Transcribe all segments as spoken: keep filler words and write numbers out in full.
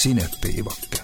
Sinepiivake.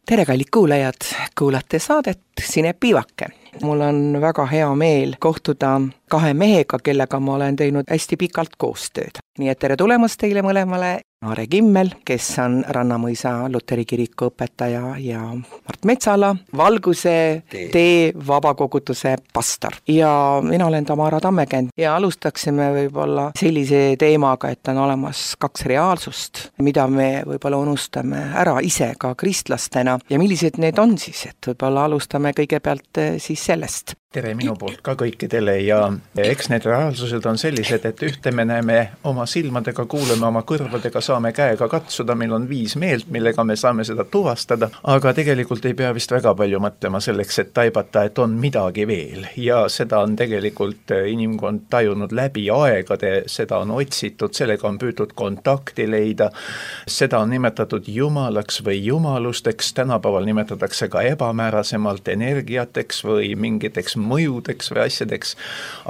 Tere, kallid kuulajad, kuulate saadet Sinepiivake. Mul on väga hea meel kohtuda kahe mehega, kellega ma olen teinud hästi pikalt koostööd. Nii et tere tulemast teile mõlemale. Aare Kimmel, kes on Rannamõisa Luteri kiriku õpetaja, ja Mart Metsala, Valguse tee, tee vabakogutuse pastor. Ja mina olen Tamara Tammekend ja alustaksime võib-olla sellise teemaga, et on olemas kaks reaalsust, mida me võib-olla unustame ära ise ka kristlastena. Ja millised need on siis, et võib-olla alustame kõigepealt siis sellest. Tere minu poolt ka kõikidele ja eks need reaalsused on sellised, et ühte me näeme oma silmadega, kuuleme oma kõrvadega, saame käega katsuda, meil on viis meelt, millega me saame seda tuvastada, aga tegelikult ei pea vist väga palju mõtlema selleks, et taibata, et on midagi veel ja seda on tegelikult inimkond tajunud läbi aegade, seda on otsitud, sellega on püütud kontakti leida, seda on nimetatud jumalaks või jumalusteks, tänapäeval nimetatakse ka ebamäärasemalt energiateks või mingiteks mõjudeks või asjadeks,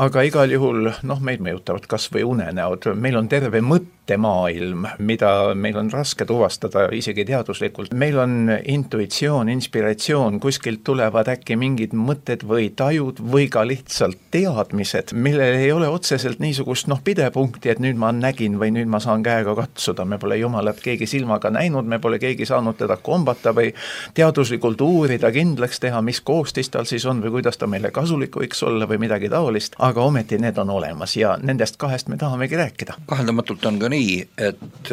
aga igal juhul noh, meid mõjutavad kas või unenäod, meil on terve mõttemaailm, mida meil on raske tuvastada isegi teaduslikult. Meil on intuitsioon, inspiratsioon, kuskilt tulevad äkki mingid mõtted või tajud või ka lihtsalt teadmised, millel ei ole otseselt niisugust noh pidepunkti, et nüüd ma nägin või nüüd ma saan käega katsuda, me pole jumalat keegi silmaga näinud, me pole keegi saanud teda kombata või teaduslikult uurida, kindlaks teha, mis koostis tal siis on või kuidas ta meile kasulik võiks olla või midagi taolist, aga ometi need on olemas ja nendest kahest me tahamegi rääkida. Kaheldamatult on ka nii, et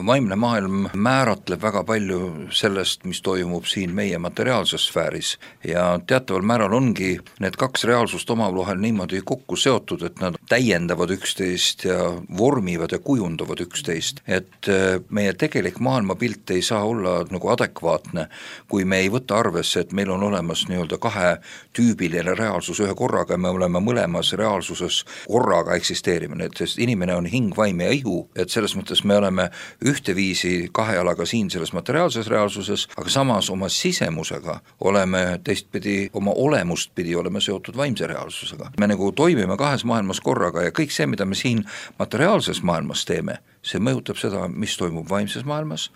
vaimne maailm määratleb väga palju sellest, mis toimub siin meie materiaalses sfääris ja teataval määral ongi need kaks reaalsust omavahel niimoodi kokku seotud, et nad täiendavad üksteist ja vormivad ja kujundavad üksteist, et meie tegelik maailmapilt ei saa olla nagu adekvaatne, kui me ei võta arvesse, et meil on olemas nii-öelda kahe tüübiline reaalsus ühe korraga ja me oleme mõlemas reaalsuses korraga eksisteerimine, et inimene on hing, vaim ja ihu, et selles mõttes me oleme ühteviisi kahe jalaga siin selles materiaalses reaalsuses, aga samas oma sisemusega oleme teistpidi, oma olemust pidi oleme seotud vaimse reaalsusega. Me nagu toimime kahes maailmas korraga ja kõik see, mida me siin materiaalses maailmas teeme, see mõjutab seda, mis toimub vaimses maailmas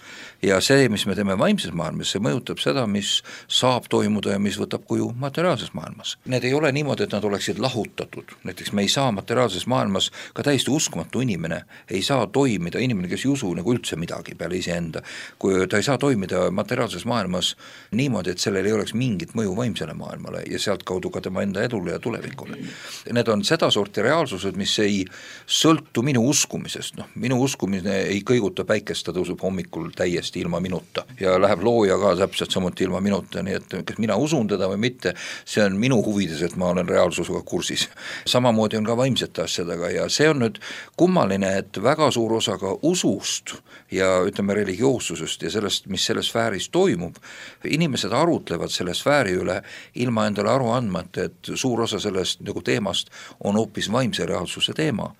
ja see, mis me teeme vaimses maailmas, see mõjutab seda, mis saab toimuda ja mis võtab kuju materiaalses maailmas. Need ei ole niimoodi, et nad oleksid lahutatud. Näiteks me ei saa materiaalses maailmas, ka täiesti uskmatu inimene ei saa toimida, inimene, kes ei usu nagu üldse midagi peale iseenda, kui ta ei saa toimida materiaalses maailmas niimoodi, et sellel ei oleks mingit mõju vaimsele maailmale ja sealt kaudu ka tema enda edule ja tulevikule. Need on seda sorti reaalsused, mis ei sõltu minu uskumisest, noh, minu uskumine ei kõiguta päikest, ta tõuseb hommikul täiesti ilma minuta ja läheb looja ka täpselt samuti ilma minuta, nii et kas mina usun teda või mitte, see on minu huvides, et ma olen reaalsusega kursis. Samamoodi on ka vaimsete asjadega ja see on nüüd kummaline, et väga suur osa ka usust ja ütleme religioossusest ja sellest, mis selles sfääris toimub, inimesed arutlevad selle sfääri üle ilma endale aru andmata, et suur osa sellest nagu teemast on hoopis vaimse reaalsuse teema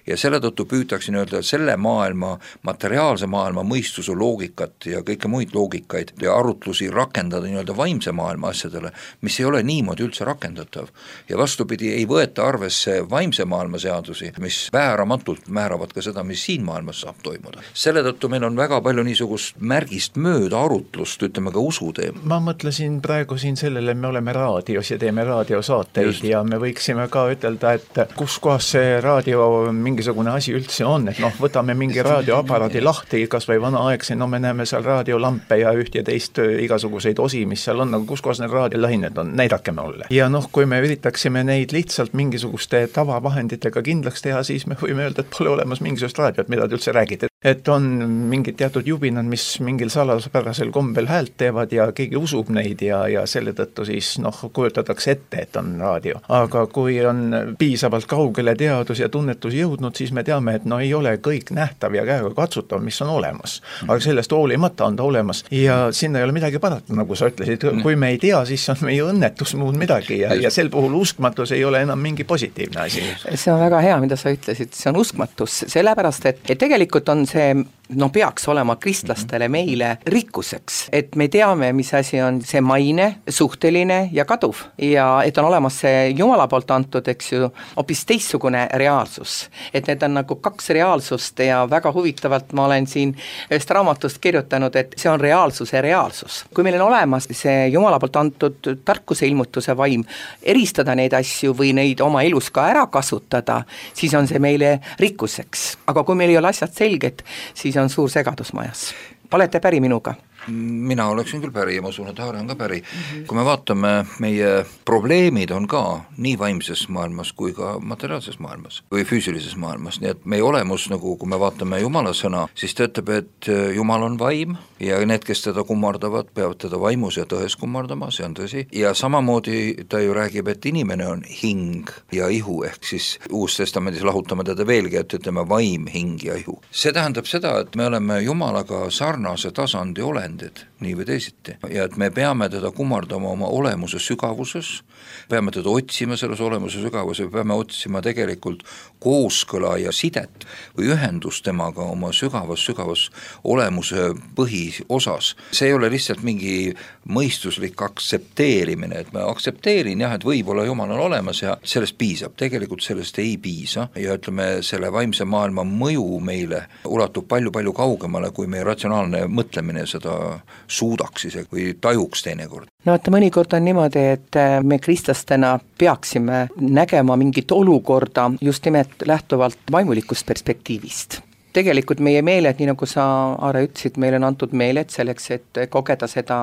ja selle tõttu püütakse öelda selle maailma, materiaalse maailma mõistuse loogikat ja kõike muid loogikaid ja arutlusi rakendada nii-öelda vaimse maailma asjadele, mis ei ole niimoodi üldse rakendatav ja vastupidi ei võeta arvesse vaimse maailma seadusi, mis vääramatult määravad ka seda, mis siin maailmas saab toimuda. Selle tõttu meil on väga palju niisugust märgist mööda arutlust, ütleme ka usuteema. Ma mõtlesin praegu siin sellele, me oleme raadios ja teeme raadiosaateid Just. Ja me võiksime ka ütelda, et kus kohas see raadio mingisugune asi üldse on, et noh, võtame mingi raadioaparaadi lahti, kas või vanaaegse, no me näeme seal raadiolampe ja üht ja teist igasuguseid osi, mis seal on, aga kus kohas need raadiolained on, näidake mulle. Ja noh, kui me üritaksime neid lihtsalt mingisuguste tavavahenditega kindlaks teha, siis me võime öelda, et pole olemas mingisugust raadiot, mida te üldse räägite. Et on mingid teatud jubinad, mis mingil salaspärasel kombel häält teevad ja keegi usub neid ja, ja selle tõttu siis noh, kujutatakse ette, et on raadio. Aga kui on piisavalt kaugele teadus ja tunnetus jõudnud, siis me teame, et no ei ole kõik nähtav ja käega katsutav, mis on olemas. Aga sellest hoolimata on ta olemas ja sinna ei ole midagi parata, nagu sa ütlesid. Kui me ei tea, siis on meie õnnetus muud midagi ja, ja sel puhul uskmatus ei ole enam mingi positiivne asi. See on väga hea, mida sa ütlesid, see on uskmatus, sellepärast, et, et tegelikult on see no peaks olema kristlastele meile rikkuseks, et me teame, mis asi on see maine, suhteline ja kaduv ja et on olemas see Jumala poolt antud, eks ju, hoopis teistsugune reaalsus. Et need on nagu kaks reaalsust ja väga huvitavalt ma olen siin ühest raamatust kirjutanud, et see on reaalsuse reaalsus. Kui meil on olemas see Jumala poolt antud tarkuse ilmutuse vaim, eristada neid asju või neid oma elus ka ära kasutada, siis on see meile rikkuseks. Aga kui meil ei ole asjad selged, siis on suur segadus majas. Olete päri minuga? Mina oleksin küll päri ja ma usun, et Aare on ka päri. Mm-hmm. Kui me vaatame, meie probleemid on ka nii vaimses maailmas kui ka materiaalses maailmas või füüsilises maailmas, nii et meie olemus, nagu kui me vaatame Jumala sõna, siis ta ütleb, et Jumal on vaim ja need, kes teda kummardavad, peavad teda vaimus ja tões kummardama, see on tõsi. Ja samamoodi ta ju räägib, et inimene on hing ja ihu, ehk siis Uus Testamendis lahutame teda veelgi, et ütleme vaim, hing ja ihu. See tähendab seda, et me oleme Jumalaga sarnase tasandi olend, nii või teisiti. Ja et me peame teda kummardama oma olemuse sügavuses, peame teda otsima selles olemuse sügavuses, peame otsima tegelikult kooskõla ja sidet või ühendust temaga oma sügavas, sügavas olemuse põhiosas. See ei ole lihtsalt mingi mõistuslik aktsepteerimine, et ma aktsepteerin jah, et võib-olla Jumal on olemas ja sellest piisab. Tegelikult sellest ei piisa ja ütleme, selle vaimse maailma mõju meile ulatub palju-palju kaugemale, kui meie ratsionaalne mõtlemine seda suudaks ise või tajuks teinekord. No et mõnikord on niimoodi, et me kristlastena peaksime nägema mingit olukorda just nimelt lähtuvalt vaimulikust perspektiivist. Tegelikult meie meeled, nii nagu sa, Aare, ütlesid, meil on antud meeled selleks, et kogeda seda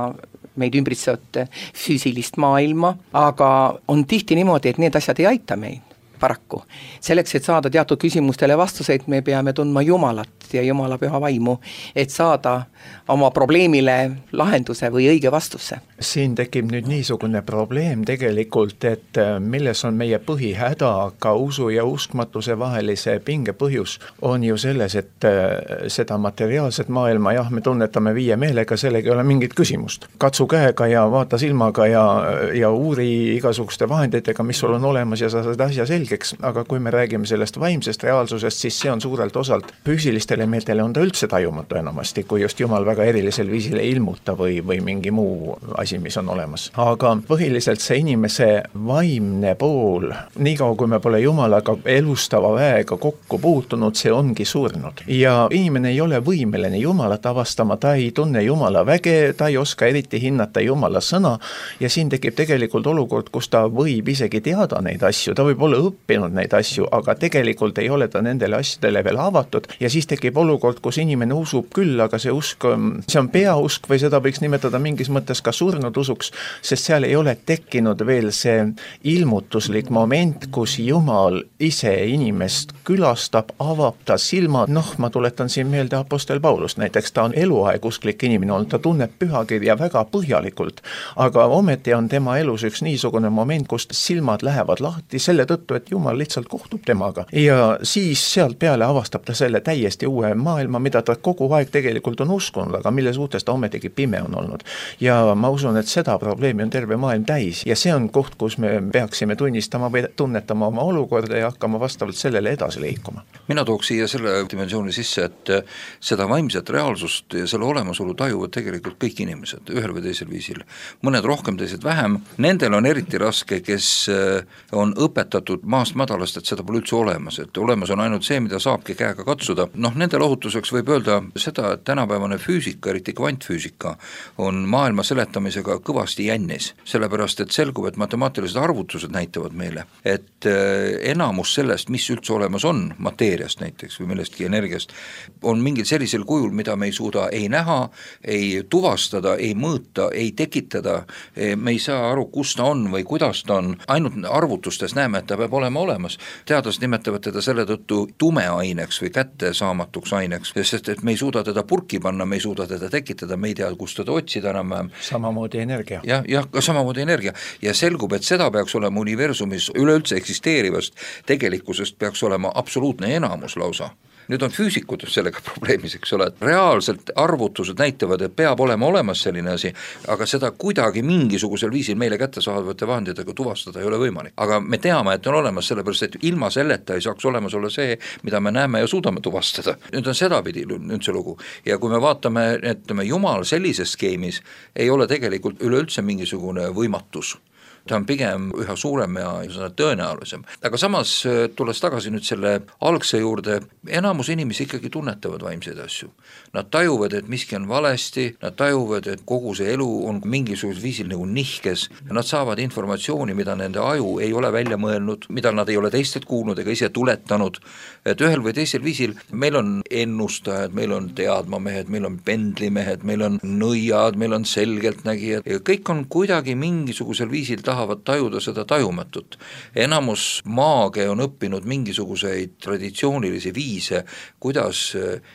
meid ümbritsevat füüsilist maailma, aga on tihti niimoodi, et need asjad ei aita meid. Paraku. Selleks, et saada teatud küsimustele vastuseid, me peame tundma Jumalat ja Jumala püha vaimu, et saada oma probleemile lahenduse või õige vastuse. Siin tekib nüüd niisugune probleem tegelikult, et milles on meie põhihäda, ka usu ja uskmatuse vahelise pinge põhjus on ju selles, et seda materiaalset maailma, jah, me tunnetame viie meelega, sellega ei ole mingit küsimust. Katsu käega ja vaata silmaga ja, ja uuri igasuguste vahenditega, mis sul on olemas ja sa saad asja selgeks, aga kui me räägime sellest vaimsest reaalsusest, siis see on suurelt osalt füüsilistele meeltele on ta üldse tajumatu enamasti, kui just Jumal väga erilisel viisil ei ilmuta või, või mingi muu asi, mis on olemas. Aga põhiliselt see inimese vaimne pool, niikaua kui me pole Jumalaga elustava väega kokku puutunud, see ongi surnud. Ja inimene ei ole võimeline Jumalat avastama, ta ei tunne Jumala väge, ta ei oska eriti hinnata Jumala sõna ja siin tekib tegelikult olukord, kus ta võib isegi teada neid asju, ta võib olla õppinud neid asju, aga tegelikult ei ole ta nendele asjadele veel avatud ja siis tekib olukord, kus inimene usub küll, aga see usk, see on peausk või seda võiks nimetada mingis mõttes ka surnud usuks, sest seal ei ole tekkinud veel see ilmutuslik moment, kus Jumal ise inimest külastab, avab ta silmad. Noh, ma tuletan siin meelde apostel Paulust, näiteks ta on eluaeg usklik inimene olnud, ta tunneb pühakirja väga põhjalikult, aga ometi on tema elus üks niisugune moment, kus silmad lähevad lahti selle tõttu, et Jumal lihtsalt kohtub temaga ja siis sealt peale avastab ta selle täiesti uue maailma, mida ta kogu aeg tegelikult on uskunud, aga mille suhtes ta ometigi pime on olnud. Ja ma usun, et seda probleemi on terve maailm täis ja see on koht, kus me peaksime tunnistama või tunnetama oma olukorda ja hakkama vastavalt sellele edasi liikuma. Mina tooks siia selle dimensiooni sisse, et seda vaimset reaalsust ja selle olemasolu tajuvad tegelikult kõik inimesed ühel või teisel viisil. Mõned rohkem, teised vähem. Nendel on eriti raske, kes on õpetatud maast madalast, et seda pole üldse olemas, et olemas on ainult see, mida saabki käega katsuda. Noh, nende lohutuseks võib öelda seda, et tänapäevane füüsika, eriti kvantfüüsika, on maailma seletamisega kõvasti jännis, sellepärast et selgub, et matemaatilised arvutused näitavad meile, et enamus sellest, mis üldse olemas on, mateeriast näiteks või millestki energiast, on mingil sellisel kujul, mida me ei suuda ei näha, ei tuvastada, ei mõõta, ei tekitada, me ei saa aru, kus ta on või kuidas ta on, ainult arvutustes näeme, et ta peab olema olemas. Teadlased nimetavad teda selle tõttu tumeaineks või kättesaamatuks aineks, sest et me ei suuda teda purki panna, me ei suuda teda tekitada, me ei tea, kus teda otsida enam. Samamoodi energia. jah, jah, ka samamoodi energia. Ja selgub, et seda peaks olema universumis üleüldse eksisteerivast tegelikkusest peaks olema absoluutne enamus lausa. nüüd on füüsikud sellega probleemis, eks ole, et reaalselt arvutused näitavad, et peab olema olemas selline asi, aga seda kuidagi mingisugusel viisil meile kättesaadavate vahenditega tuvastada ei ole võimalik. aga me teame, et on olemas, sellepärast et ilma selleta ei saaks olemas olla see, mida me näeme ja suudame tuvastada. Nüüd on sedapidi nüüd see lugu ja kui me vaatame, et me Jumal sellises skeemis ei ole tegelikult üleüldse mingisugune võimatus, ta on pigem üha suurem ja tõenäolisem. Aga samas, tulles tagasi nüüd selle algse juurde, enamus inimesi ikkagi tunnetavad vaimseid asju. Nad tajuvad, et miski on valesti, nad tajuvad, et kogu see elu on mingisugusel viisil nagu nihkes ja nad saavad informatsiooni, mida nende aju ei ole välja mõelnud, mida nad ei ole teistelt kuulnud ega ise tuletanud, et ühel või teisel viisil meil on ennustajad, meil on teadmamehed, meil on pendlimehed, meil on nõiad, meil on selgeltnägijad ja kõik on kuidagi mingisugusel viisil taha tahavad tajuda seda tajumatut. Enamus maage on õppinud mingisuguseid traditsioonilisi viise, kuidas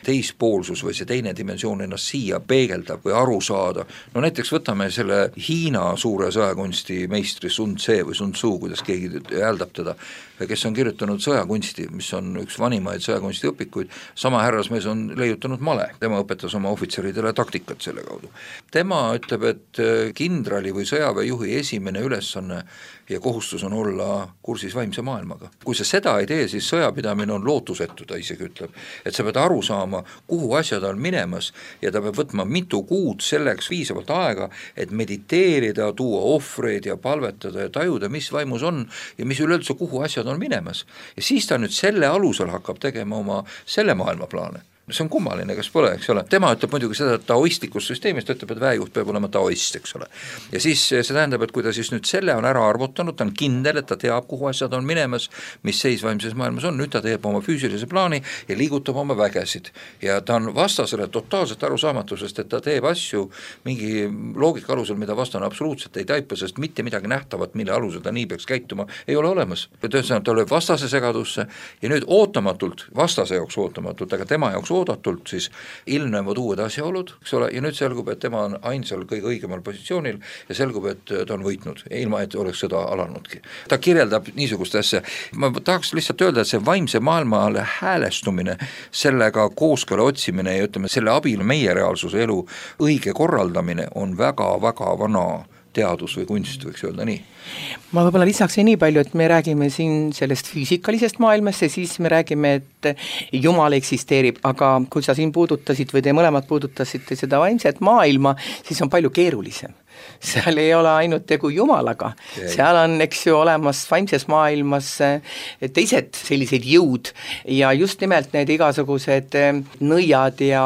teispoolsus või see teine dimensioon ennast siia peegeldab või aru saada. No näiteks võtame selle Hiina suure sõjakunsti meistri Sun Tse või Sun Tzu, kuidas keegi hääldab teda, kes on kirjutanud sõjakunsti, mis on üks vanimaid sõjakunsti õpikuid. Sama härrasmees on leiutanud male, tema õpetas oma ohvitseridele taktikat selle kaudu. Tema ütleb, et kindrali või sõjaväejuhi esimene üles ja kohustus on olla kursis vaimse maailmaga. Kui sa seda ei tee, siis sõjapidamine on lootusetu, ta isegi ütleb, et sa pead aru saama, kuhu asjad on minemas ja ta peab võtma mitu kuud selleks viisavalt aega, et mediteerida, tuua ohvreid ja palvetada ja tajuda, mis vaimus on ja mis üleüldse kuhu asjad on minemas. Ja siis ta nüüd selle alusel hakkab tegema oma selle maailma plaane. See on kummaline, kas pole, eks ole. Tema ütleb muidugi seda, et taoistlikus süsteemis ta ütleb, et väejuht peab olema taoist, eks ole. Ja siis see tähendab, et kui ta siis nüüd selle on ära arvutanud, ta on kindel, et ta teab, kuhu asjad on minemas, mis seis vaimses maailmas on, nüüd ta teeb oma füüsilise plaani ja liigutab oma vägesid. Ja ta on vastasele totaalselt arusaamatusest, et ta teeb asju mingi loogika alusel, mida vastane absoluutselt ei taipa, sest mitte midagi nähtavat, mille alusel ta nii peaks käituma, ei ole olemas. Tõenäoliselt ta lööb vastase segadusse ja nüüd ootamatult, vastase jaoks ootamatult, aga tema jaoks oodatult siis ilmnevad uued asjaolud, eks ole, ja nüüd selgub, et tema on ainsal kõige õigemal positsioonil ja selgub, et ta on võitnud, ilma et oleks seda alanudki. Ta kirjeldab niisugust asja. Ma tahaks lihtsalt öelda, et see vaimse maailmaale häälestumine, sellega kooskõla otsimine ja ütleme, selle abil meie reaalsuse elu õige korraldamine on väga-väga vana teadus või kunst, võiks öelda nii. Ma võib-olla lisaks nii palju, et me räägime siin sellest füüsikalisest maailmast ja siis me räägime, et Jumal eksisteerib, aga kui sa siin puudutasid või te mõlemad puudutasite seda vaimset maailma, siis on palju keerulisem. Seal ei ole ainult tegu Jumalaga, seal on, eks ju, olemas vaimses maailmas teised sellised jõud ja just nimelt need igasugused nõiad ja,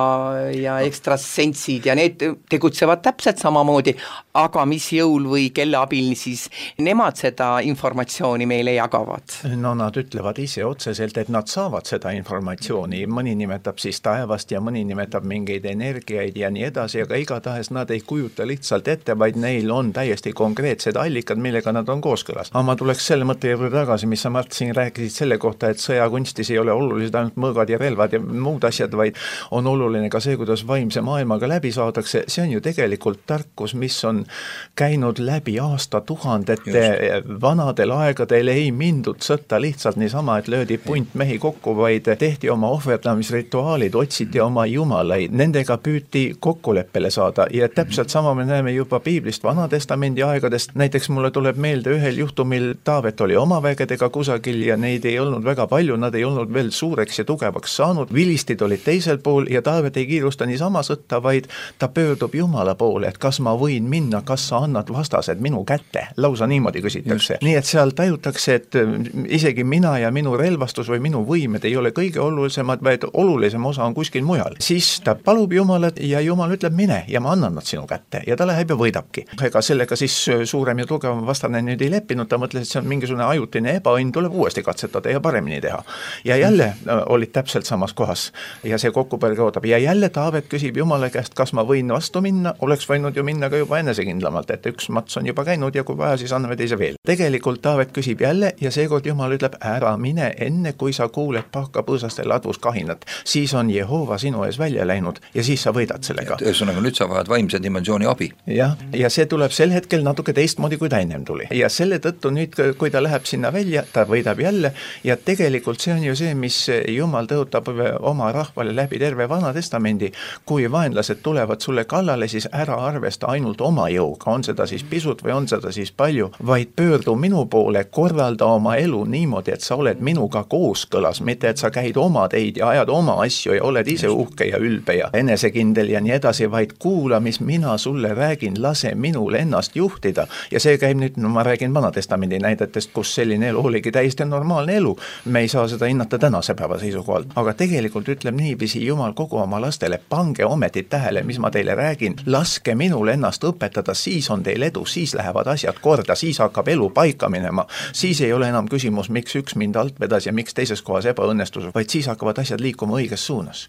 ja ekstrasentsid ja need tegutsevad täpselt samamoodi, aga mis jõul või kelle abil siis nemad seda informatsiooni meile jagavad? No nad ütlevad ise otseselt, et nad saavad seda informatsiooni, mõni nimetab siis taevast ja mõni nimetab mingeid energiaid ja nii edasi, aga igatahes nad ei kujuta lihtsalt ette, vaid neil on täiesti konkreetsed allikad, millega nad on kooskõlas. Aga ma tuleks selle mõtte juurde tagasi, mis sa Mart siin rääkisid selle kohta, et sõjakunstis ei ole olulised ainult mõõgad ja relvad ja muud asjad, vaid on oluline ka see, kuidas vaimse maailmaga läbi saadakse. See on ju tegelikult tarkus, mis on käinud läbi aastatuhandete. Vanadel aegadel ei mindud sõtta lihtsalt niisama, et löödi punt mehi kokku, vaid tehti oma ohverdamisrituaalid, otsiti oma jumalaid, nendega püüti kokkuleppele saada ja täpselt sama me näeme juba Piiblist Vanatestamendi aegadest. Näiteks mulle tuleb meelde ühel juhtumil Taavet oli oma vägedega kusagil ja neid ei olnud väga palju, nad ei olnud veel suureks ja tugevaks saanud. Vilistid olid teisel pool ja Taavet ei kiirusta niisama sõtta, vaid ta pöördub Jumala poole, et kas ma võin minna, kas sa annad vastased minu kätte. Lausa niimoodi küsitakse. Just. Nii et seal tajutakse, et isegi mina ja minu relvastus või minu võimed ei ole kõige olulisemad, vaid olulisem osa on kuskil mujal. Siis ta palub Jumalat ja Jumal ütleb mine ja ma annan nad sinu kätte ja ta läheb ja võidab. Ega sellega siis suurem ja tugevam vastane nüüd ei leppinud, ta mõtles, et see on mingisugune ajutine ebaõnn, tuleb uuesti katsetada ja paremini teha. Ja jälle olid täpselt samas kohas ja see kokkupõrge ootab. Ja jälle Taavet küsib Jumala käest, kas ma võin vastu minna, oleks võinud ju minna ka juba enesekindlamalt, et üks mats on juba käinud ja kui vaja, siis anname teise veel. Tegelikult Taavet küsib jälle ja seekord Jumal ütleb, ära mine enne, kui sa kuuled pahkapõõsaste ladvus kahinat. Siis on Jehova sinu ees välja läinud ja siis sa võidad sellega. Ühesõnaga, nüüd sa vajad vaimse dimensiooni abi. Jah, ja see tuleb sel hetkel natuke teistmoodi, kui ta ennem tuli. Ja selle tõttu nüüd, kui ta läheb sinna välja, ta võidab jälle ja tegelikult see on ju see, mis Jumal tõotab oma rahvale läbi terve Vana Testamendi. Kui vaenlased tulevad sulle kallale, siis ära arvesta ainult oma jõuga, on seda siis pisut või on seda siis palju, vaid pöördu minu poole, korralda oma elu niimoodi, et sa oled minuga kooskõlas, mitte et sa käid oma teid ja ajad oma asju ja oled ise uhke ja ülbe ja enesekindel ja nii edasi, vaid kuula, mis mina sulle räägin, lase minul ennast juhtida. Ja see käib nüüd, no ma räägin Vana Testamendi näidetest, kus selline elu oligi täiesti normaalne elu. Me ei saa seda hinnata tänase päeva seisukohalt, aga tegelikult ütleb niiviisi Jumal kogu oma lastele, pange ometi tähele, mis ma teile räägin, laske minul ennast õpetada, siis on teil edu, siis lähevad asjad korda, siis hakkab elu paika minema, siis ei ole enam küsimus, miks üks mind alt vedas ja miks teises kohas ebaõnnestus, vaid siis hakkavad asjad liikuma õiges suunas.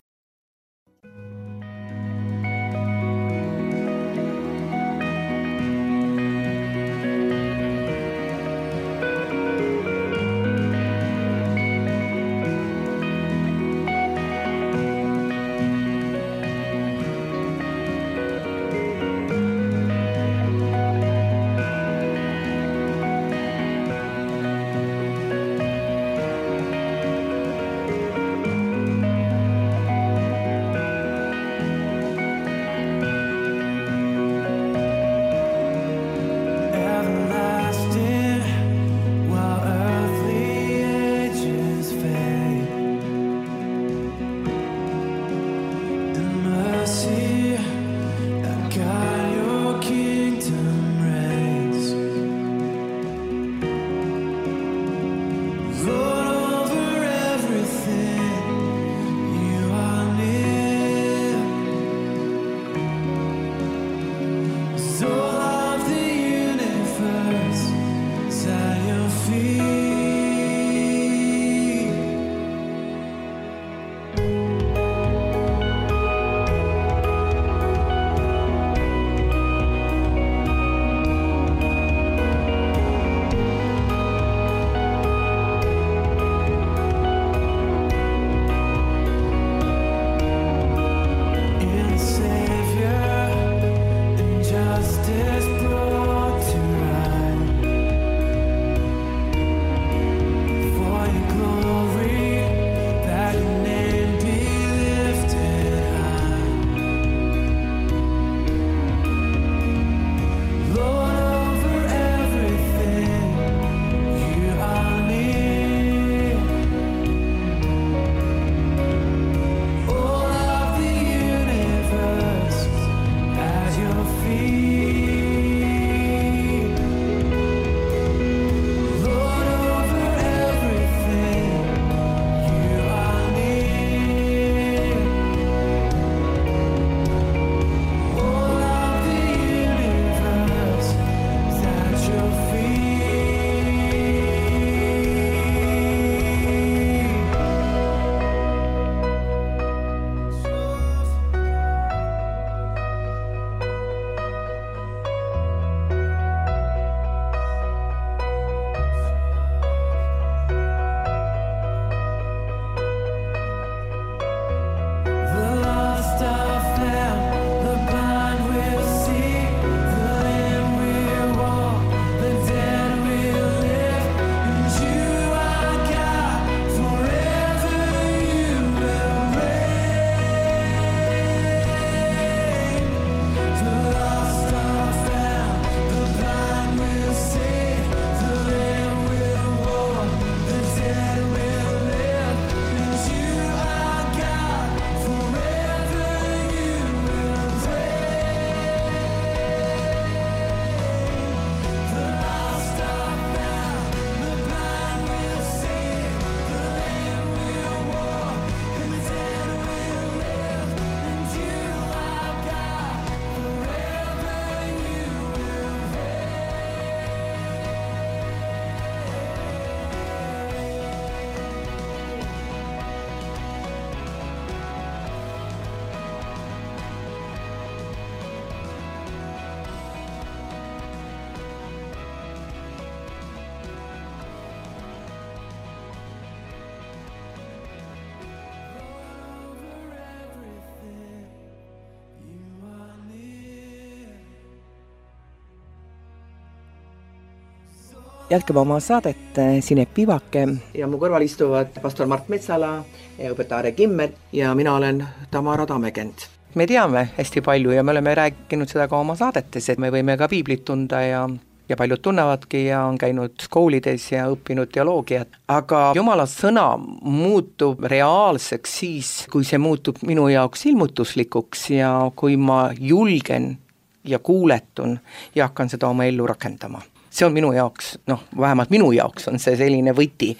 jätkame oma saadet Sinep Pivake ja mu kõrval istuvad pastor Mart Metsala ja õpetaja Are Kimmel ja mina olen Tamara Tamekend. Me teame hästi palju ja me oleme rääkinud seda ka oma saadetes, et me võime ka piiblit tunda ja ja paljud tunnevadki ja on käinud koolides ja õppinud teoloogiat. Aga Jumala sõna muutub reaalseks siis, kui see muutub minu jaoks ilmutuslikuks ja kui ma julgen ja kuuletun ja hakkan seda oma ellu rakendama. See on minu jaoks, noh, vähemalt minu jaoks on see selline võti.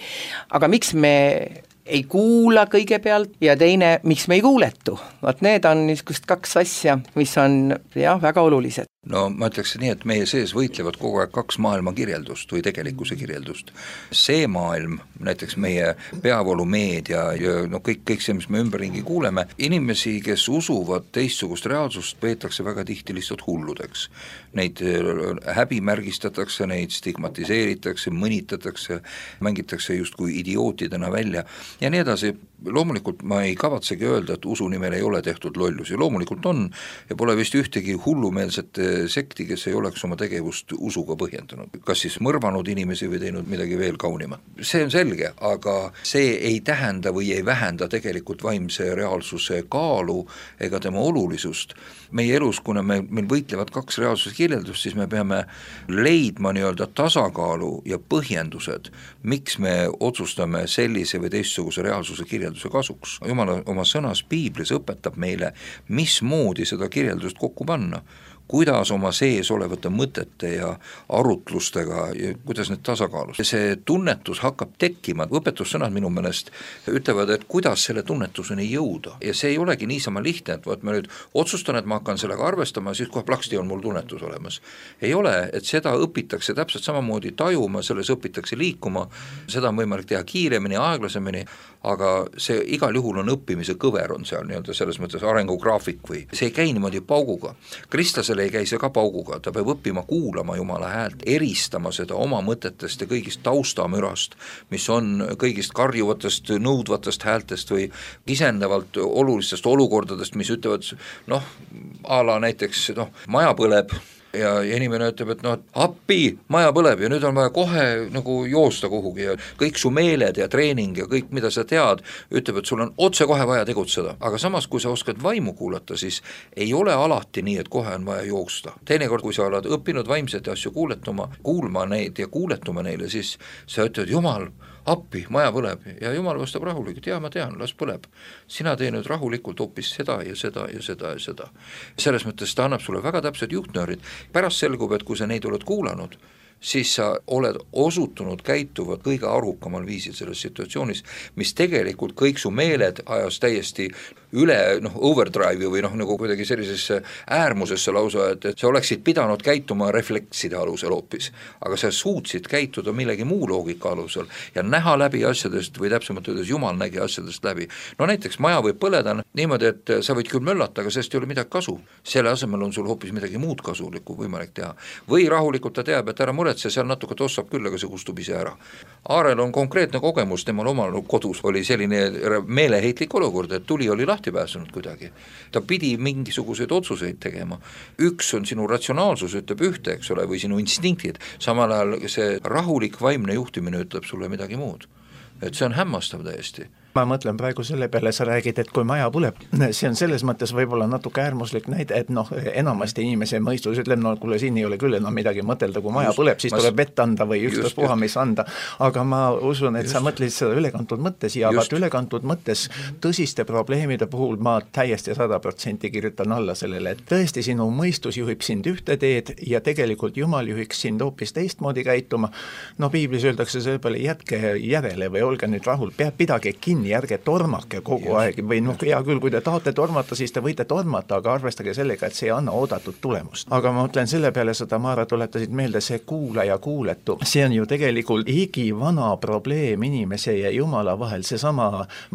Aga miks me ei kuula kõigepealt ja teine, miks me ei kuuletu? Vaat need on niisugust kaks asja, mis on jah, väga olulised. No ma ütleks nii, et meie sees võitlevad kogu aeg kaks maailma kirjeldust või tegelikkuse kirjeldust. See maailm, näiteks meie peavoolumeedia ja no kõik, kõik see, mis me ümberringi kuuleme, inimesi, kes usuvad teistsugust reaalsust, peetakse väga tihti lihtsalt hulludeks. Neid häbimärgistatakse, neid stigmatiseeritakse, mõnitatakse, mängitakse justkui idiootidena välja ja nii edasi. Loomulikult ma ei kavatsegi öelda, et usu nimel ei ole tehtud lollusi, loomulikult on ja pole vist ühtegi hullumeelset sekti, kes ei oleks oma tegevust usuga põhjendanud, kas siis mõrvanud inimesi või teinud midagi veel kaunimat. See on selge, aga see ei tähenda või ei vähenda tegelikult vaimse reaalsuse kaalu ega tema olulisust. Meie elus, kuna me, meil võitlevad kaks reaalsuse kirjeldust, siis me peame leidma nii-öelda tasakaalu ja põhjendused, miks me otsustame sellise või teistsuguse reaalsuse kirjelduse kasuks. Jumal oma sõnas Piiblis õpetab meile, mismoodi seda kirjeldust kokku panna, kuidas oma sees olevate mõtete ja arutlustega ja kuidas need tasakaalus. See tunnetus hakkab tekkima, õpetussõnad minu meelest ütlevad, et kuidas selle tunnetuseni jõuda ja see ei olegi niisama lihtne, et võt, ma nüüd otsustan, et ma hakkan sellega arvestama, siis kohe plaksti on mul tunnetus olemas. Ei ole, et seda õpitakse täpselt samamoodi tajuma, selles õpitakse liikuma, seda on võimalik teha kiiremini, aeglasemini, aga see igal juhul on õppimise kõver on seal nii-öelda selles mõttes arengugraafik või see ei käi niimoodi pauguga. Kristlasel ei käi see ka pauguga, ta peab õppima kuulama Jumala häält, eristama seda oma mõtetest ja kõigist taustamürast, mis on kõigist karjuvatest, nõudvatest häältest või kisendavalt olulistest olukordadest, mis ütlevad, noh, a la näiteks, noh, maja põleb, ja inimene ütleb, et noh, appi, maja põleb ja nüüd on vaja kohe nagu joosta kuhugi ja kõik su meeled ja treening ja kõik, mida sa tead, ütleb, et sul on otse kohe vaja tegutseda. Aga samas, kui sa oskad vaimu kuulata, siis ei ole alati nii, et kohe on vaja jooksta. Teinekord, kui sa oled õppinud vaimsete asju kuuletuma, kuulma neid ja kuuletuma neile, siis sa ütled, Jumal, appi, maja põleb ja Jumal vastab rahulikult, ja ma tean, las põleb. Sina tee nüüd rahulikult hoopis seda ja seda ja seda ja seda. Selles mõttes ta annab sulle väga täpsed juhtnöörid. Pärast selgub, et kui sa neid oled kuulanud, siis sa oled osutunud käituvad kõige arukamal viisil selles situatsioonis, mis tegelikult kõik su meeled ajas täiesti üle noh, overdrive'i või noh, nagu kuidagi sellisesse äärmusesse lausa, et, et sa oleksid pidanud käituma reflekside alusel hoopis, aga sa suutsid käituda millegi muu loogika alusel ja näha läbi asjadest või täpsemalt öeldes Jumal nägi asjadest läbi. No näiteks maja võib põleda niimoodi, et sa võid küll möllata, aga sellest ei ole midagi kasu. Selle asemel on sul hoopis midagi muud kasulikku võimalik teha. Või rahulikult ta teab, et ära muretse, seal natuke tossab küll, aga see kustub ise ära. Aarel on konkreetne kogemus, temal omal kodus oli selline meeleheitlik olukord, et tuli oli lahti pääsenud kuidagi. Ta pidi mingisuguseid otsuseid tegema. Üks on sinu ratsionaalsus, ütleb ühte, eks ole, või sinu instinktid. Samal ajal see rahulik vaimne juhtimine ütleb sulle midagi muud. Et see on hämmastav täiesti. Ma mõtlen praegu selle peale, sa räägid, et kui maja põleb, see on selles mõttes võib-olla natuke äärmuslik näide, et noh, enamasti inimese mõistus ütleb, no kuule, siin ei ole küll enam midagi mõtelda, kui maja just, põleb, siis ma... tuleb vett anda või ükstaps puha, mis anda. Aga ma usun, et just. Sa mõtled seda ülekantud mõttes ja vaat ülekantud mõttes tõsiste probleemide puhul ma täiesti sada protsenti kirjutan alla sellele, et tõesti sinu mõistus juhib sind ühte teed ja tegelikult Jumal juhiks sind hoopis teistmoodi käituma. No piiblis öeldakse selle peale, jätke järele või olge nüüd rahul, peab pidage kinni, ärge tormake kogu yes. aeg või noh, hea küll, kui te tahate tormata, siis te võite tormata, aga arvestage sellega, et see ei anna oodatud tulemust. Aga ma mõtlen selle peale, seda Maara tuletasid meelde, see kuula ja kuuletu, see on ju tegelikult igivana probleem inimese ja Jumala vahel, see sama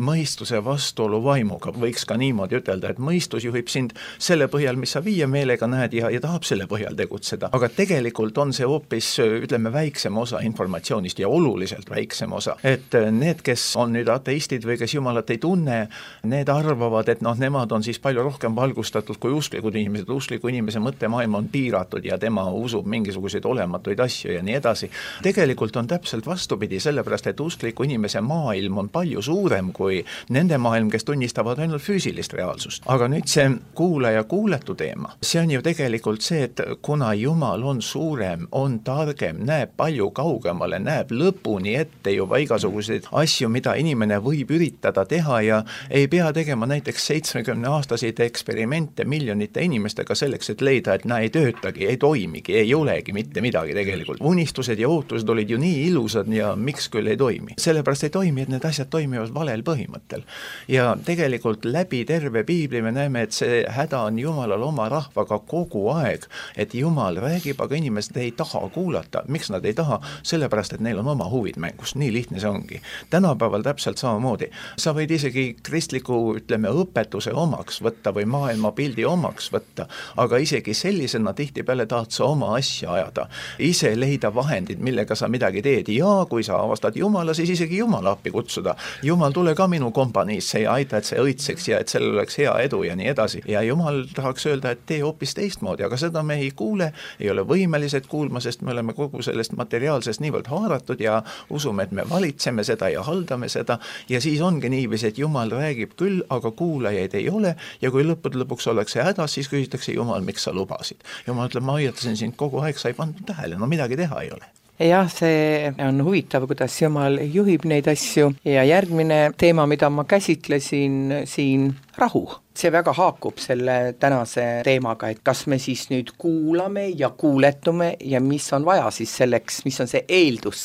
mõistuse vastuolu vaimuga, võiks ka niimoodi ütelda, et mõistus juhib sind selle põhjal, mis sa viie meelega näed ja, ja tahab selle põhjal tegutseda, aga tegelikult on see hoopis, ütleme, väiksem osa informatsioonist ja oluliselt väiksem osa, et need, kes on nüüd ateistid teistmoodi või kes Jumalat ei tunne, need arvavad, et noh, nemad on siis palju rohkem valgustatud kui usklikud inimesed, uskliku inimese mõttemaailm on piiratud ja tema usub mingisuguseid olematuid asju ja nii edasi. Tegelikult on täpselt vastupidi, sellepärast et uskliku inimese maailm on palju suurem kui nende maailm, kes tunnistavad ainult füüsilist reaalsust. Aga nüüd see kuulaja kuuletu teema, see on ju tegelikult see, et kuna Jumal on suurem, on targem, näeb palju kaugemale, näeb lõpuni ette juba igasuguseid asju, mida inimene võib üritada teha ja ei pea tegema näiteks seitsmekümne aastaseid eksperimente miljonite inimestega selleks, et leida, et näe, ei töötagi, ei toimigi, ei olegi mitte midagi tegelikult. Unistused ja ootused olid ju nii ilusad ja miks küll ei toimi. Sellepärast ei toimi, et need asjad toimivad valel põhimõttel. Ja tegelikult läbi terve piibli me näeme, et see häda on Jumalal oma rahvaga kogu aeg, et Jumal räägib, aga inimesed ei taha kuulata. Miks nad ei taha? Sellepärast, et neil on oma huvid mängus. Nii lihtne see ongi. Tänapäeval täpselt samamoodi. Sa võid isegi kristliku, ütleme, õpetuse omaks võtta või maailmapildi omaks võtta, aga isegi sellisena tihtipeale tahad sa oma asja ajada. Ise leida vahendid, millega sa midagi teed ja kui sa avastad Jumala, siis isegi Jumala appi kutsuda. Jumal, tule ka minu kompaniisse ja aita, et see õitseks ja et sellel oleks hea edu ja nii edasi. Ja Jumal tahaks öelda, et tee hoopis teistmoodi, aga seda me ei kuule, ei ole võimelised kuulma, sest me oleme kogu sellest materiaalsest niivõrd haaratud ja usume, et me valitseme seda ja haldame seda ja siis ongi niivis, et Jumal räägib küll, aga kuulajaid ei ole ja kui lõppude lõpuks ollakse hädas, siis küsitakse Jumal, miks sa lubasid. Jumal ütleb, ma hoiatasin sind kogu aeg, sa ei pannud tähele, no midagi teha ei ole. Jah, see on huvitav, kuidas Jumal juhib neid asju ja järgmine teema, mida ma käsitlesin siin, rahu. See väga haakub selle tänase teemaga, et kas me siis nüüd kuulame ja kuuletume ja mis on vaja siis selleks, mis on see eeldus,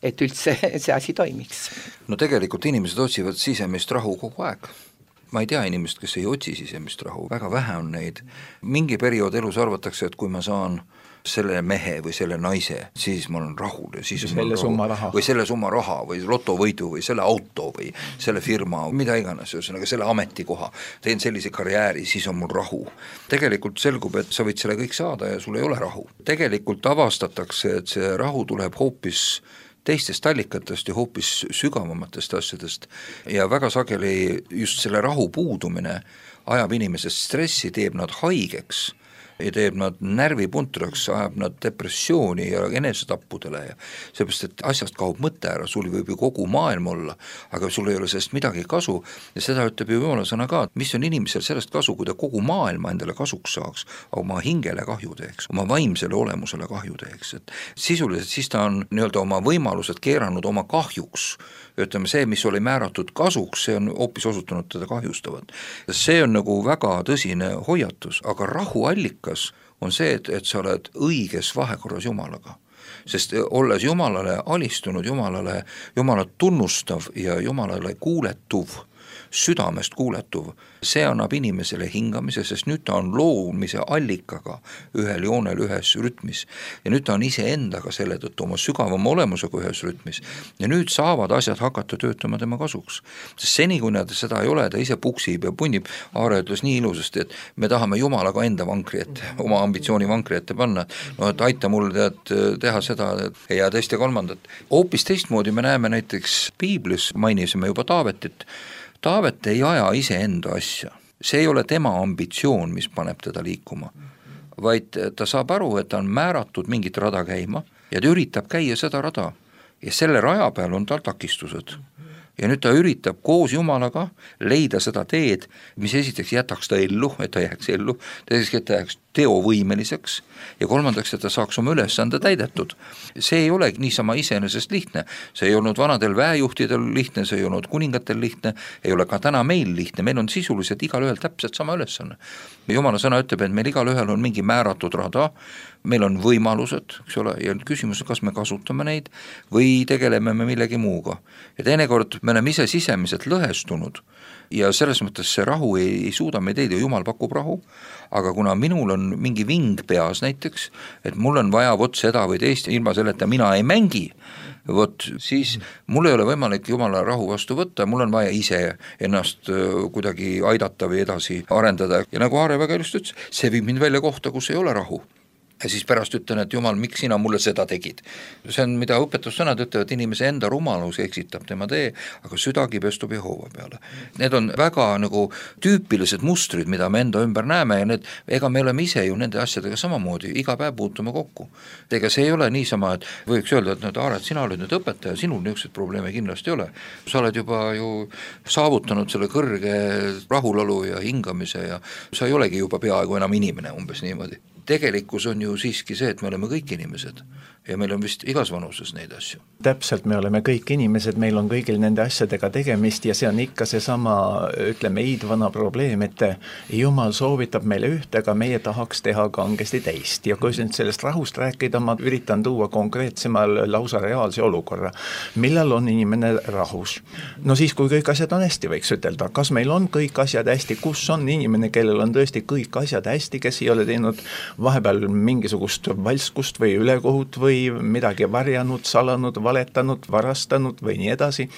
et üldse see asi toimiks. No tegelikult inimesed otsivad sisemist rahu kogu aeg. Ma ei tea inimest, kes ei otsi sisemist rahu, väga vähe on neid. Mingi periood elus arvatakse, et kui ma saan selle mehe või selle naise, siis ma olen rahul ja siis on selle summa raha. või selle summa raha või lotovõidu või selle auto või selle firma, mida iganes, ühesõnaga selle ametikoha, teen sellise karjääri, siis on mul rahu. Tegelikult selgub, et sa võid selle kõik saada ja sul ei ole rahu. Tegelikult avastatakse, et see rahu tuleb hoopis teistest allikatest ja hoopis sügavamatest asjadest ja väga sageli just selle rahu puudumine ajab inimesest stressi, teeb nad haigeks ja teeb nad närvipuntraks, ajab nad depressiooni ja enesetappudele ja seepärast, et asjast kaob mõte ära, sul võib ju kogu maailm olla, aga sul ei ole sellest midagi kasu ja seda ütleb ju Jumala sõna ka, mis on inimesel sellest kasu, kui ta kogu maailma endale kasuks saaks, oma hingele kahju teeks, oma vaimsele olemusele kahju teeks, et sisuliselt siis ta on nii-öelda oma võimalused keeranud oma kahjuks, ütleme see, mis oli määratud kasuks, see on hoopis osutunud teda kahjustavad. See on nagu väga tõsine hoiatus, aga rahuallika on see, et, et sa oled õiges vahekorras Jumalaga. Sest olles Jumalale alistunud, Jumalale, Jumalat tunnustav ja Jumalale kuuletuv, südamest kuuletuv, see annab inimesele hingamise, sest nüüd ta on loomise allikaga ühel joonel ühes rütmis ja nüüd ta on ise endaga selle tõttu oma sügavama olemusega ühes rütmis ja nüüd saavad asjad hakata töötama tema kasuks. Sest seni, kui nad seda ei ole, ta ise puksib ja punnib, Aare ütles nii ilusasti, et me tahame Jumalaga enda vankri ette, oma ambitsiooni vankri ette panna, no et aita mul tead, teha seda ja teist ja kolmandat. Hoopis teistmoodi me näeme näiteks piiblis, mainisime juba Taavetit, Taavet ei aja ise enda asja, see ei ole tema ambitsioon, mis paneb teda liikuma, vaid ta saab aru, et ta on määratud mingit rada käima ja ta üritab käia seda rada ja selle raja peal on tal takistused. Ja nüüd ta üritab koos Jumalaga leida seda teed, mis esiteks jätaks ta ellu, et ta jääks ellu, teiseks, et ta jääks teovõimeliseks ja kolmandaks, et ta saaks oma ülesande täidetud. See ei ole niisama iseenesest lihtne, see ei olnud vanadel väejuhtidel lihtne, see ei olnud kuningatel lihtne, ei ole ka täna meil lihtne, meil on sisuliselt igal ühel täpselt sama ülesanne. Jumala sõna ütleb, et meil igal ühel on mingi määratud rada, meil on võimalused, eks ole, ja küsimus, kas me kasutame neid või tegeleme me millegi muuga. Ja teinekord me oleme ise sisemiselt lõhestunud ja selles mõttes see rahu ei, ei suuda meid leida, Jumal pakub rahu, aga kuna minul on mingi ving peas näiteks, et mul on vaja vot seda või teist, ilma selleta mina ei mängi, vot siis mul ei ole võimalik Jumala rahu vastu võtta, mul on vaja ise ennast kuidagi aidata või edasi arendada ja nagu Aare väga ilusti ütles, see viib mind välja kohta, kus ei ole rahu. ja siis pärast ütlen, et jumal, miks sina mulle seda tegid. See on, mida õpetussõnad ütlevad, inimese enda rumalus eksitab tema tee, aga süda kibestub Jehova peale. Need on väga nagu tüüpilised mustrid, mida me enda ümber näeme ja need, ega me oleme ise ju nende asjadega samamoodi, iga päev puutume kokku. Ega see ei ole niisama, et võiks öelda, et nüüd Aaret, sina oled nüüd õpetaja, sinul niisugused probleeme kindlasti ei ole. Sa oled juba ju saavutanud selle kõrge rahulolu ja hingamise ja sa ei olegi juba peaaegu enam inimene, umbes niimoodi. Tegelikkus on ju siiski see, et me oleme kõik inimesed ja meil on vist igas vanuses neid asju. Täpselt, me oleme kõik inimesed, meil on kõigil nende asjadega tegemist ja see on ikka see sama, ütleme, iidvana probleem, et Jumal soovitab meile üht, aga meie tahaks teha kangesti teist. Ja kui nüüd sellest rahust rääkida, ma üritan tuua konkreetsemal lausa reaalse olukorra. Millal on inimene rahus? No siis, kui kõik asjad on hästi, võiks ütelda. Kas meil on kõik asjad hästi? Kus on inimene, kellel on tõesti kõik asjad hästi, kes ei ole teinud vahepeal mingisugust valskust või ülekohut või midagi varjanud, salanud, valetanud, varastanud või nii edasi.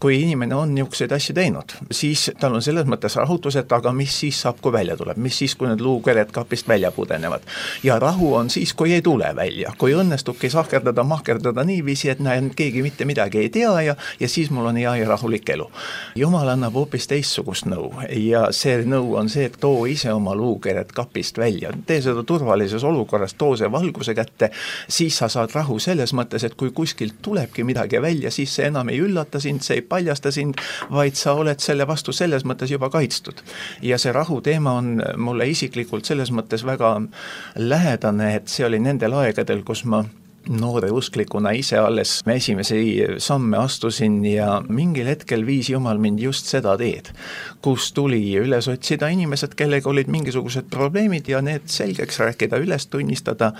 Kui inimene on niisuguseid asju teinud, siis tal on selles mõttes rahutus, et aga mis siis saab, kui välja tuleb, mis siis, kui need luukered kapist välja pudenevad. Ja rahu on siis, kui ei tule välja, kui õnnestubki sahkerdada, mahkerdada niiviisi, et näen, keegi mitte midagi ei tea ja, ja siis mul on hea ja rahulik elu. Jumal annab hoopis teistsugust nõu ja see nõu on see, et too ise oma luukered kapist välja, tee seda turvalises olukorras, too see valguse kätte, siis sa saad rahu selles mõttes, et kui kuskilt tulebki midagi välja, siis see enam ei üllata sind, see ei paljasta sind, vaid sa oled selle vastu selles mõttes juba kaitstud. Ja see rahu teema on mulle isiklikult selles mõttes väga lähedane, et see oli nendel aegadel, kus ma noore usklikuna ise alles esimesi samme astusin ja mingil hetkel viis Jumal mind just seda teed, kus tuli üles otsida inimesed, kellega olid mingisugused probleemid ja need selgeks rääkida, üles tunnistada,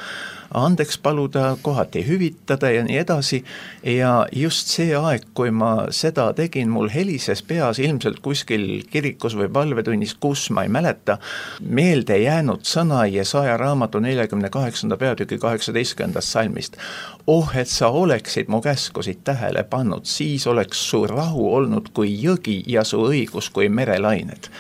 andeks paluda, kohati hüvitada ja nii edasi. Ja just see aeg, kui ma seda tegin, mul helises peas ilmselt kuskil kirikus või palvetunnis, kus ma ei mäleta, meelde jäänud sõna Jesaja raamatu neljakümne kaheksanda peatüki kaheksateistkümnendast salmist. Oh, et sa oleksid mu käskusid tähele pannud, siis oleks su rahu olnud kui jõgi ja su õigus kui merelained.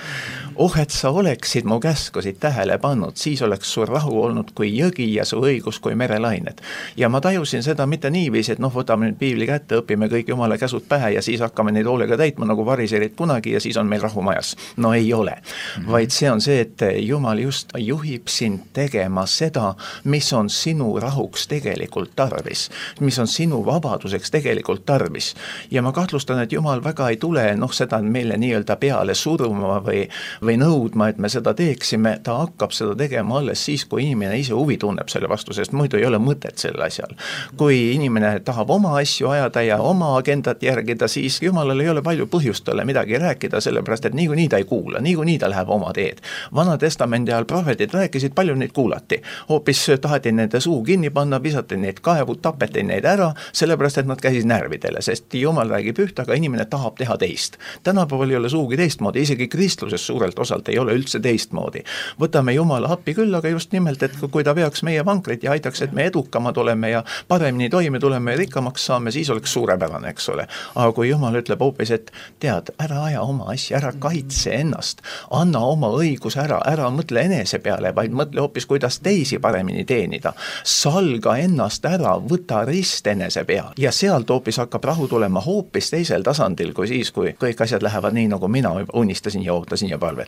Oh, et sa oleksid mu käskusid tähele pannud, siis oleks su rahu olnud kui jõgi ja su õigus kui merelained. Ja ma tajusin seda mitte niiviisi, et noh, võtame nüüd piibli kätte, õpime kõik Jumala käsud pähe ja siis hakkame neid hoolega täitma nagu variserid kunagi ja siis on meil rahu majas. No ei ole, mm-hmm. vaid see on see, et Jumal just juhib sind tegema seda, mis on sinu rahuks tegelikult tarvis, mis on sinu vabaduseks tegelikult tarvis. Ja ma kahtlustan, et Jumal väga ei tule noh, seda meile nii-öelda peale suruma või või nõudma, et me seda teeksime, ta hakkab seda tegema alles siis, kui inimene ise huvi tunneb selle vastu, sest muidu ei ole mõtet selle asjal. Kui inimene tahab oma asju ajada ja oma agendat järgida, siis Jumalal ei ole palju põhjust talle midagi rääkida, sellepärast, et niikuinii ta ei kuula, niikuinii ta läheb oma teed. Vana testamendi ajal prohvetid rääkisid, palju neid kuulati. Hoopis taheti nende suu kinni panna, visati neid kaevu, tapeti neid ära, sellepärast, et nad käisid närvidele, sest Jumal räägib üht, aga inimene tahab teha teist. Tänapäeval ei ole suugi teistmoodi, isegi kristluses suurelt osalt ei ole üldse teistmoodi. Võtame Jumala appi küll, aga just nimelt, et kui ta veaks meie vankrit ja aitaks, et me edukamad oleme ja paremini toime tuleme ja rikkamaks saame, siis oleks suurepärane, eks ole. Aga kui Jumal ütleb hoopis, et tead, ära aja oma asja, ära kaitse ennast, anna oma õigus ära, ära mõtle enese peale, vaid mõtle hoopis, kuidas teisi paremini teenida. Salga ennast ära, võta rist enese peal ja sealt hoopis hakkab rahu tulema hoopis teisel tasandil kui siis, kui kõik asjad lähevad nii, nagu mina unistasin ja ootasin ja palve.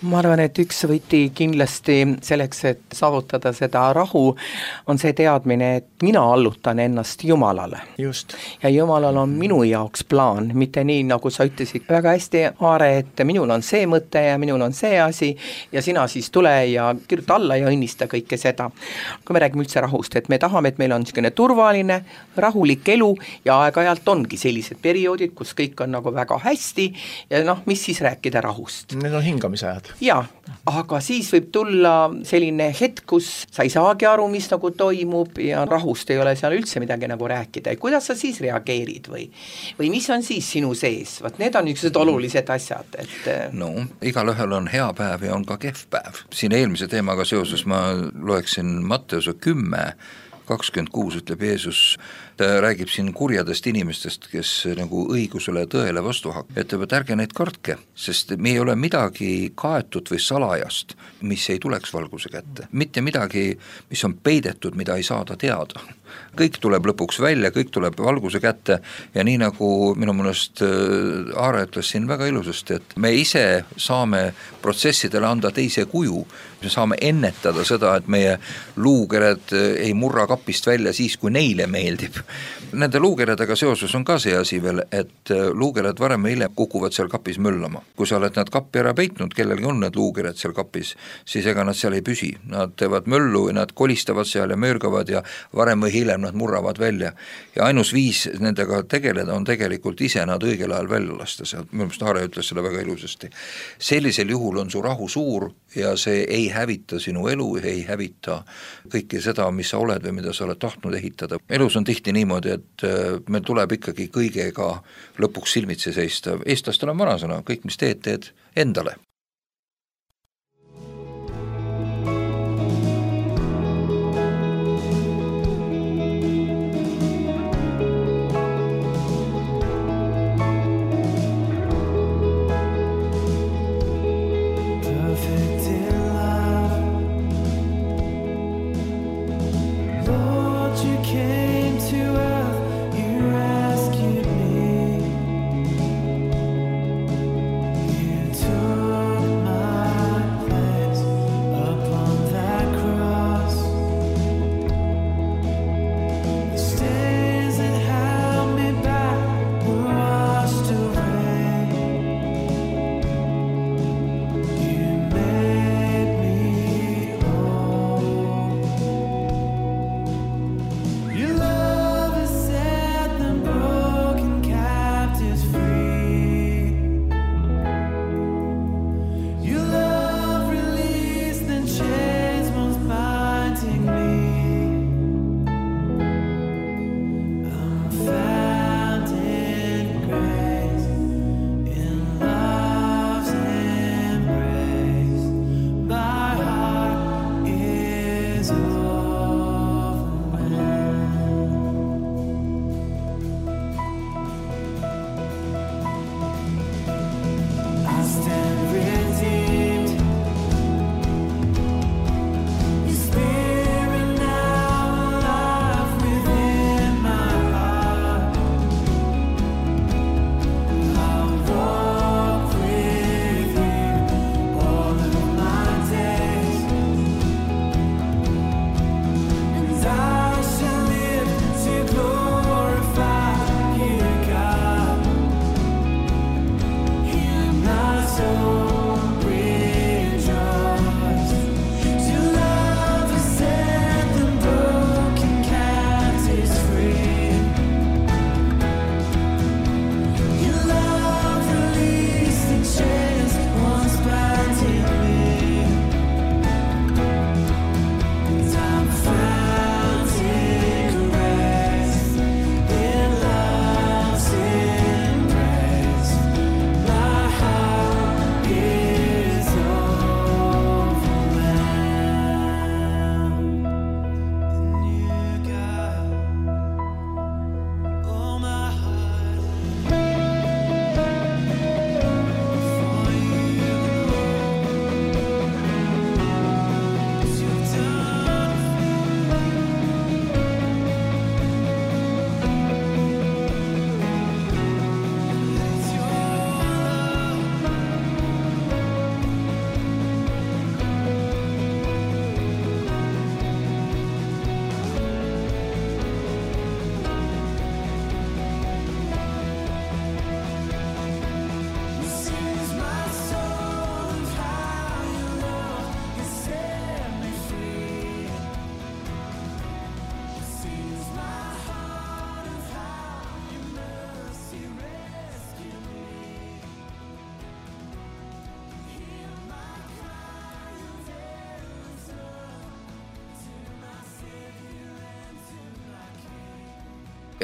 Ma arvan, et üks võti kindlasti selleks, et saavutada seda rahu, on see teadmine, et mina allutan ennast Jumalale. Just. Ja Jumalal on minu jaoks plaan, mitte nii, nagu sa ütlesid väga hästi, Aare, et minul on see mõte ja minul on see asi ja sina siis tule ja kirjuta alla ja õnnista kõike seda. Kui me räägime üldse rahust, et me tahame, et meil on niisugune turvaline, rahulik elu ja aeg-ajalt ongi sellised perioodid, kus kõik on nagu väga hästi ja noh, mis siis rääkida rahust? Need on hingamise ajad. Jaa, aga siis võib tulla selline hetk, kus sa ei saagi aru, mis nagu toimub ja rahust ei ole seal üldse midagi nagu rääkida. Kuidas sa siis reageerid või, või mis on siis sinu sees? Vaat need on niisugused olulised asjad. Et... No, igal ühel on hea päev ja on ka kehv päev. Siin eelmise teemaga seoses ma loeksin Matteuse kümme kakskümmend kuus ütleb Jeesus, ta räägib siin kurjadest inimestest, kes nagu õigusele ja tõele vastu hakkab, ütleb, et ärge neid kartke, sest me ei ole midagi kaetud või salajast, mis ei tuleks valguse kätte. Mitte midagi, mis on peidetud, mida ei saada teada. Kõik tuleb lõpuks välja, kõik tuleb valguse kätte ja nii nagu minu mõnest Aare ütles siin väga ilusasti, et me ise saame protsessidele anda teise kuju, me saame ennetada seda, et meie luukered ei murra kapist välja siis, kui neile meeldib. Nende luukeredega seoses on ka see asi veel, et luukered varem ja hiljem kukuvad seal kapis möllama. Kui sa oled nad kappi ära peitnud, kellelgi on need luukered seal kapis, siis ega nad seal ei püsi. Nad teevad möllu ja nad kolistavad seal ja möörgavad ja varem või hiljem nad murravad välja. Ja ainus viis nendega tegeleda on tegelikult ise nad õigel ajal välja lasta sealt. Minu meelest Aare ütles seda väga ilusasti. Sellisel juhul on su rahu suur ja see ei hävita sinu elu, ei hävita kõike seda, mis sa oled või mida sa oled tahtnud ehitada. Elus on tihti niimoodi, et meil tuleb ikkagi kõigega lõpuks silmitsi seista. Eestlastel on vanasõna, kõik mis teed, teed endale.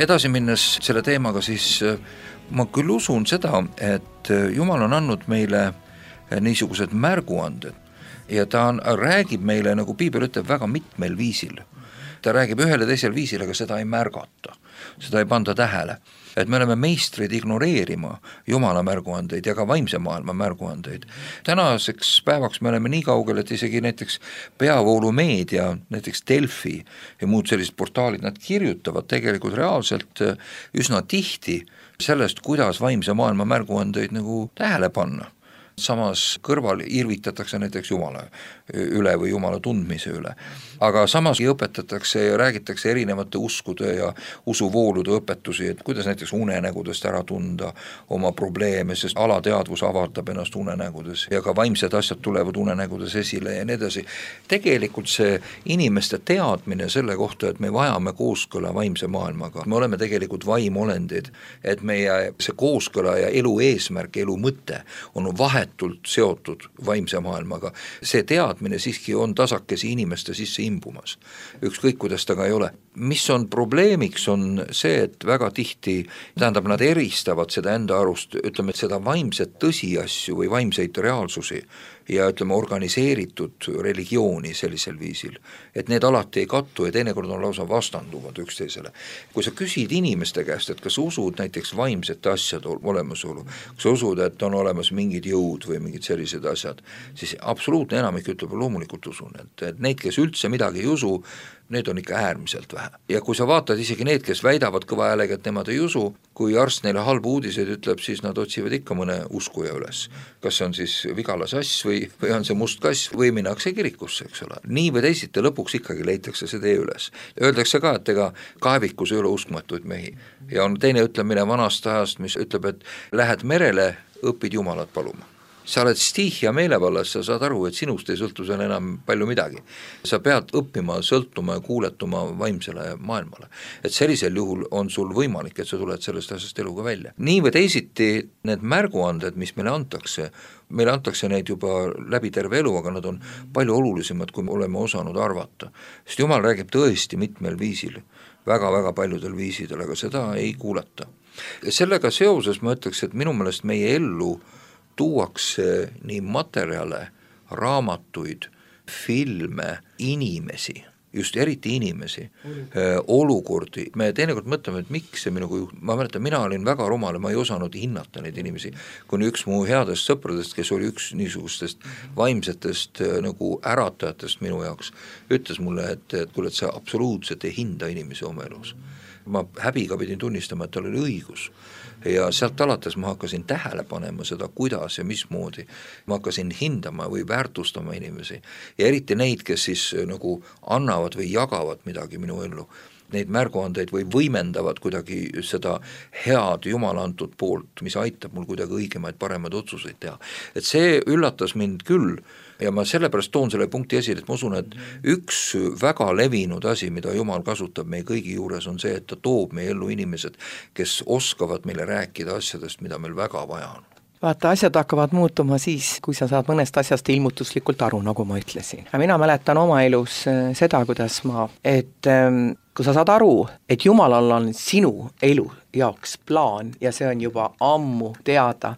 edasi minnes selle teemaga, siis ma küll usun seda, et Jumal on andnud meile niisugused märguanded ja ta on, räägib meile, nagu Piibel ütleb, väga mitmel viisil. ta räägib ühel ja teisel viisil, aga seda ei märgata, seda ei panda tähele. Et me oleme meistrid ignoreerima Jumala märguandeid ja ka vaimse maailma märguandeid. Tänaseks päevaks me oleme nii kaugel, et isegi näiteks peavoolumeedia, näiteks Delfi ja muud sellised portaalid, nad kirjutavad tegelikult reaalselt üsna tihti sellest, kuidas vaimse maailma märguandeid nagu tähele panna. Samas kõrval irvitatakse näiteks Jumala üle või Jumala tundmise üle. Aga samas õpetatakse ja räägitakse erinevate uskude ja usuvoolude õpetusi, et kuidas näiteks unenägudest ära tunda oma probleeme, sest alateadvus avaldab ennast unenägudes ja ka vaimsed asjad tulevad unenägudes esile ja nii edasi. Tegelikult see inimeste teadmine selle kohta, et me vajame kooskõla vaimse maailmaga, me oleme tegelikult vaimolendid, et meie see kooskõla ja elu eesmärk, elu mõte on vahet seotud vaimse maailmaga. See teadmine siiski on tasakesi inimeste sisse imbumas. Ükskõik, kuidas ta ka ei ole. Mis on probleemiks, on see, et väga tihti, tähendab, nad eristavad seda enda arust, ütleme, et seda vaimset tõsiasju või vaimseid reaalsusi ja ütleme organiseeritud religiooni sellisel viisil, et need alati ei kattu ja teinekord on lausa vastanduvad üksteisele. Kui sa küsid inimeste käest, et kas usud näiteks vaimsete asjade olemasolu, kui sa usud, et on olemas mingid jõud või mingid sellised asjad, siis absoluutne enamik ütleb, loomulikult usun, et, et neid, kes üldse midagi ei usu, need on ikka äärmiselt vähe. Ja kui sa vaatad isegi need, kes väidavad kõva häälega, et nemad ei usu, kui arst neile halbu uudiseid ütleb, siis nad otsivad ikka mõne uskuja üles. Kas see on siis vigala sass või, või on see must kass või minnakse kirikusse, eks ole. Nii või teisiti lõpuks ikkagi leitakse see tee üles. Öeldakse ka, et ega kaevikus ei ole uskmatuid mehi. Ja on teine ütlemine vanast ajast, mis ütleb, et lähed merele, õpid Jumalat paluma. Sa oled stihia meelevallas, sa saad aru, et sinust ei sõltu seal enam palju midagi. Sa pead õppima, sõltuma ja kuuletuma vaimsele maailmale. Et sellisel juhul on sul võimalik, et sa tuled sellest asjast eluga välja. Nii või teisiti need märguanded, mis meile antakse, meile antakse neid juba läbi terve elu, aga nad on palju olulisemad, kui me oleme osanud arvata. Sest Jumal räägib tõesti mitmel viisil, väga-väga paljudel viisidel, aga seda ei kuulata. Ja sellega seoses ma ütleks, et minu meelest meie ellu tuuakse nii materjale, raamatuid, filme, inimesi, just eriti inimesi, olukordi. Me teinekord mõtleme, et miks see minuga juht... Ma mäletan, mina olin väga rumal ja ma ei osanud hinnata neid inimesi, kuni üks mu headest sõpradest, kes oli üks niisugustest vaimsetest nagu äratajatest minu jaoks, ütles mulle, et, et kuule, et sa absoluutselt ei hinda inimesi oma elus. Ma häbiga pidin tunnistama, et tal oli õigus. Ja sealt alates ma hakkasin tähele panema seda, kuidas ja mismoodi. Ma hakkasin hindama või väärtustama inimesi. Ja eriti neid, kes siis nagu annavad või jagavad midagi minu ellu. Neid märguandeid või võimendavad kuidagi seda head Jumala antud poolt, mis aitab mul kuidagi õigemaid, paremaid otsuseid teha. Et see üllatas mind küll ja ma sellepärast toon selle punkti esile, et ma usun, et üks väga levinud asi, mida Jumal kasutab meie kõigi juures, on see, et ta toob meie ellu inimesed, kes oskavad meile rääkida asjadest, mida meil väga vaja on. Vaata, asjad hakkavad muutuma siis, kui sa saad mõnest asjast ilmutuslikult aru, nagu ma ütlesin. Mina mäletan oma elus seda, kuidas ma, et kui sa saad aru, et Jumalal on sinu elu jaoks plaan ja see on juba ammu teada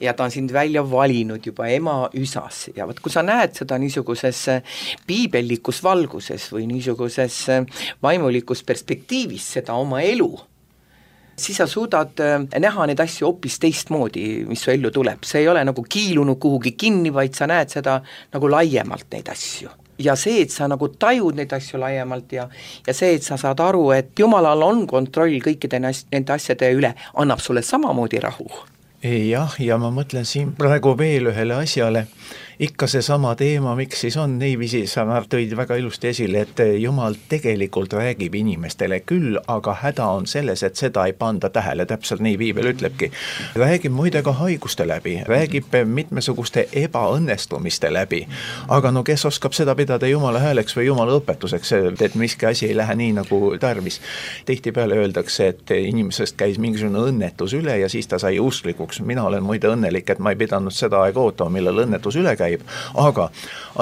ja ta on sind välja valinud juba ema üsas ja võt, kui sa näed seda niisuguses piibellikus valguses või niisuguses vaimulikus perspektiivis seda oma elu, siis sa suudad näha neid asju hoopis teistmoodi, mis su ellu tuleb. See ei ole nagu kiilunud kuhugi kinni, vaid sa näed seda nagu laiemalt neid asju. Ja see, et sa nagu tajud neid asju laiemalt ja, ja see, et sa saad aru, et Jumalal on kontroll kõikide nende asjade üle, annab sulle samamoodi rahu. Jah, ja ma mõtlen siin praegu veel ühele asjale, ikka see sama teema, miks siis on niiviisi, sa tõid väga ilusti esile, et Jumal tegelikult räägib inimestele küll, aga häda on selles, et seda ei panda tähele, täpselt nii Piibel ütlebki. Räägib muide ka haiguste läbi, räägib mitmesuguste ebaõnnestumiste läbi, aga no kes oskab seda pidada Jumala hääleks või Jumala õpetuseks, et miski asi ei lähe nii nagu tarvis. Tihtipeale öeldakse, et inimesest käis mingisugune õnnetus üle ja siis ta sai usklikuks. Mina olen muide õnnelik, et ma ei pidanud seda aega ootama, millal õnnetus üle käib. käib. Aga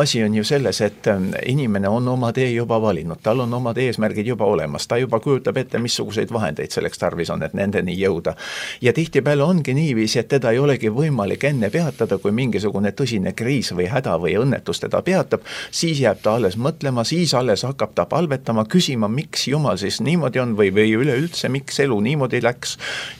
asi on ju selles, et inimene on oma tee juba valinud, tal on omad eesmärgid juba olemas, ta juba kujutab ette, missuguseid vahendeid selleks tarvis on, et nendeni jõuda. Ja tihtipeale ongi niiviisi, et teda ei olegi võimalik enne peatada, kui mingisugune tõsine kriis või häda või õnnetus teda peatab, siis jääb ta alles mõtlema, siis alles hakkab ta palvetama, küsima, miks Jumal siis niimoodi on või, või üleüldse, miks elu niimoodi läks,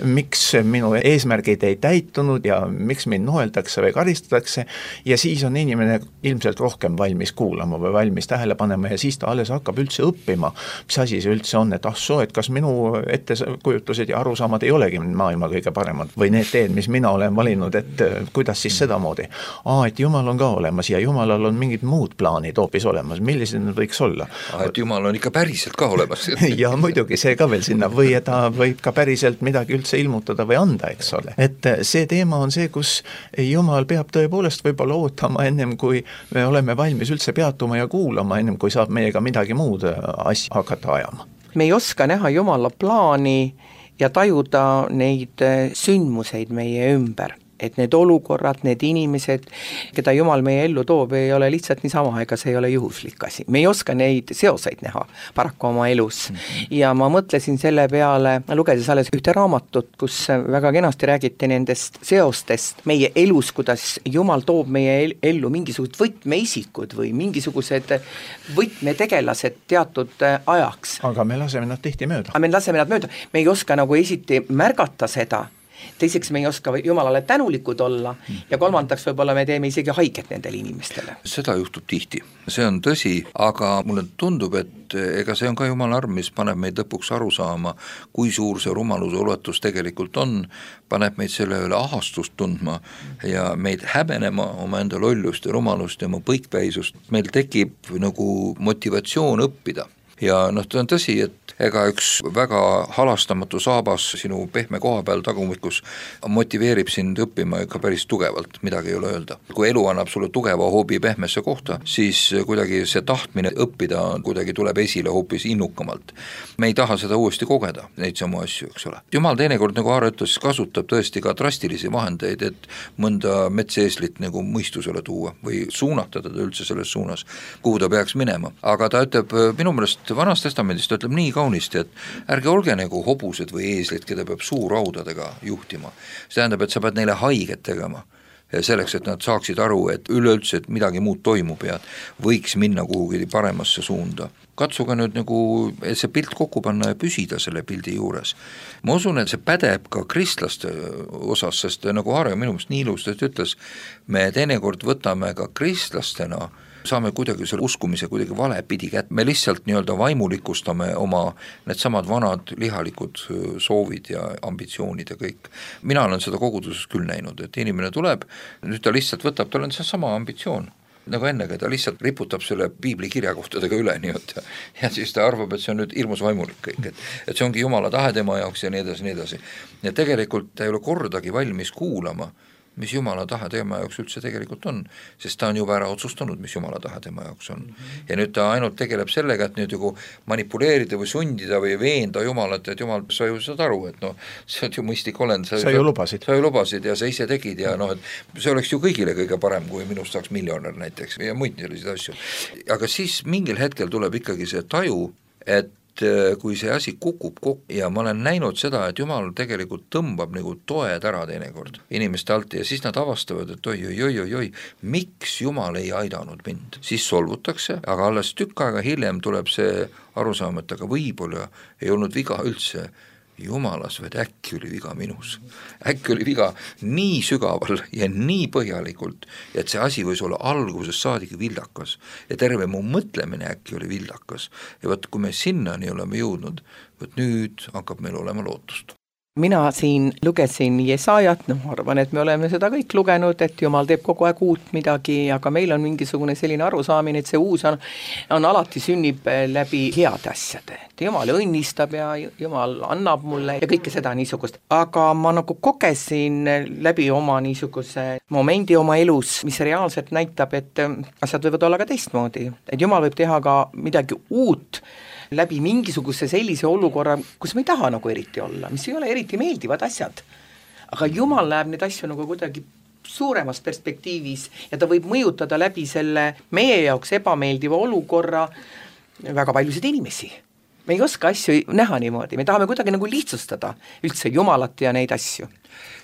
miks minu eesmärgid ei täitunud ja miks mind noeldakse või karistatakse ja siis on inimene ilmselt rohkem valmis kuulama või valmis tähele panema ja siis ta alles hakkab üldse õppima, mis asi see üldse on, et ah soo, et kas minu ettekujutused ja arusaamad ei olegi maailma kõige paremad või need teed, mis mina olen valinud, et kuidas siis sedamoodi. Aa, et Jumal on ka olemas ja Jumalal on mingid muud plaanid hoopis olemas, millised need võiks olla? Aa, et Jumal on ikka päriselt ka olemas. ja muidugi see ka veel sinna või ta võib ka päriselt midagi üldse ilmutada või anda, eks ole. Et see teema on see, kus Jumal peab tõepoolest võib-olla ootama ennem, kui me oleme valmis üldse peatuma ja kuulama, ennem kui saab meiega midagi muud asja hakata ajama. Me ei oska näha Jumala plaani ja tajuda neid sündmuseid meie ümber. Et need olukorrad, need inimesed, keda Jumal meie ellu toob, ei ole lihtsalt niisama, ega see ei ole juhuslik asi. Me ei oska neid seoseid näha paraku oma elus. Mm-hmm. Ja ma mõtlesin selle peale, lugedes alles ühte raamatut, kus väga kenasti räägiti nendest seostest meie elus, kuidas Jumal toob meie ellu mingisugused võtmeisikud või mingisugused võtmetegelased teatud ajaks. Aga me laseme nad tihti mööda. Aga me laseme nad mööda. Me ei oska nagu esiti märgata seda, teiseks me ei oska Jumalale tänulikud olla ja kolmandaks võib-olla me teeme isegi haiget nendele inimestele. Seda juhtub tihti, see on tõsi, aga mulle tundub, et ega see on ka Jumala arm, mis paneb meid lõpuks aru saama, kui suur see rumaluse ulatus tegelikult on, paneb meid selle üle ahastust tundma ja meid häbenema oma enda lollust ja rumalust ja oma põikpäisust. Meil tekib nagu motivatsioon õppida. Ja noh, ta on tõsi, et ega üks väga halastamatu saabas sinu pehme koha peal tagumikus motiveerib sind õppima ikka päris tugevalt, midagi ei ole öelda. Kui elu annab sulle tugeva hoobi pehmesse kohta, siis kuidagi see tahtmine õppida kuidagi tuleb esile hoopis innukamalt. Me ei taha seda uuesti kogeda, neid samu asju, eks ole. Jumal teinekord, nagu Aaro ütles, kasutab tõesti ka drastilisi vahendeid, et mõnda metseeslit nagu mõistusele tuua või suunata teda üldse selles suunas, kuhu ta peaks minema. Aga ta ütleb minu meelest Vanas testamendist ütleb nii kaunisti, et ärge olge nagu hobused või eeslid, keda peab suuraudadega juhtima. See tähendab, et sa pead neile haiget tegema selleks, et nad saaksid aru, et üleüldse, et midagi muud toimub ja võiks minna kuhugi paremasse suunda. Katsuga nüüd nagu see pilt kokku panna ja püsida selle pildi juures. Ma usun, et see pädeb ka kristlaste osas, sest nagu Aaro minu meelest nii ilustat ütles, me teinekord võtame ka kristlastena saame kuidagi selle uskumise kuidagi vale pidi kätt. Me lihtsalt nii-öelda vaimulikustame oma need samad vanad lihalikud soovid ja ambitsioonid ja kõik. Mina olen seda koguduses küll näinud, et inimene tuleb, nüüd ta lihtsalt võtab, tal on see sama ambitsioon. Nagu ennegi, ta lihtsalt riputab selle piibli kirjakohtadega üle nii-öelda. Ja siis ta arvab, et see on nüüd hirmus vaimulik kõik, et, et see ongi Jumala tahe tema jaoks ja nii edasi, nii edasi. Ja tegelikult ta ei ole kordagi valmis kuulama, mis Jumala tahe tema jaoks üldse tegelikult on, sest ta on juba ära otsustanud, mis Jumala tahe tema jaoks on. Ja nüüd ta ainult tegeleb sellega, et nüüd nagu manipuleerida või sundida või veenda Jumalat, et Jumal, sa ju saad aru, et noh, see on ju mõistlik olend. Sa, sa ju lubasid. Sa ju lubasid ja sa ise tegid ja noh, et see oleks ju kõigile kõige parem, kui minust saaks miljonär näiteks ja muid selliseid asju. Aga siis mingil hetkel tuleb ikkagi see taju, et kui see asi kukub kokku ja ma olen näinud seda, et Jumal tegelikult tõmbab nagu toed ära teinekord inimeste alt ja siis nad avastavad, et oi, oi, oi, oi, oi, miks Jumal ei aidanud mind. Siis solvutakse, aga alles tükk aega hiljem tuleb see arusaam, et aga võib-olla ei olnud viga üldse Jumalas, vaid äkki oli viga minus. Äkki oli viga nii sügaval ja nii põhjalikult, et see asi võis olla alguses saadik vildakas ja terve mu mõtlemine äkki oli vildakas. Ja võt, kui me sinnani oleme jõudnud, võt nüüd hakkab meil olema lootust. Mina siin lugesin Jesaajat, noh arvan, et me oleme seda kõik lugenud, et Jumal teeb kogu aeg uut midagi, aga meil on mingisugune selline arusaamine, et see uus on, on alati sünnib läbi heade asjade. Et Jumal õnnistab ja Jumal annab mulle ja kõike seda niisugust. Aga ma nagu kogesin läbi oma niisuguse momendi oma elus, mis reaalselt näitab, et asjad võivad olla ka teistmoodi. Et Jumal võib teha ka midagi uut, läbi mingisuguse sellise olukorra, kus me ei taha nagu eriti olla, mis ei ole eriti meeldivad asjad. Aga Jumal näeb neid asju nagu kuidagi suuremas perspektiivis ja ta võib mõjutada läbi selle meie jaoks ebameeldiva olukorra väga paljusid inimesi. Me ei oska asju näha niimoodi, me tahame kuidagi nagu lihtsustada üldse Jumalat ja neid asju.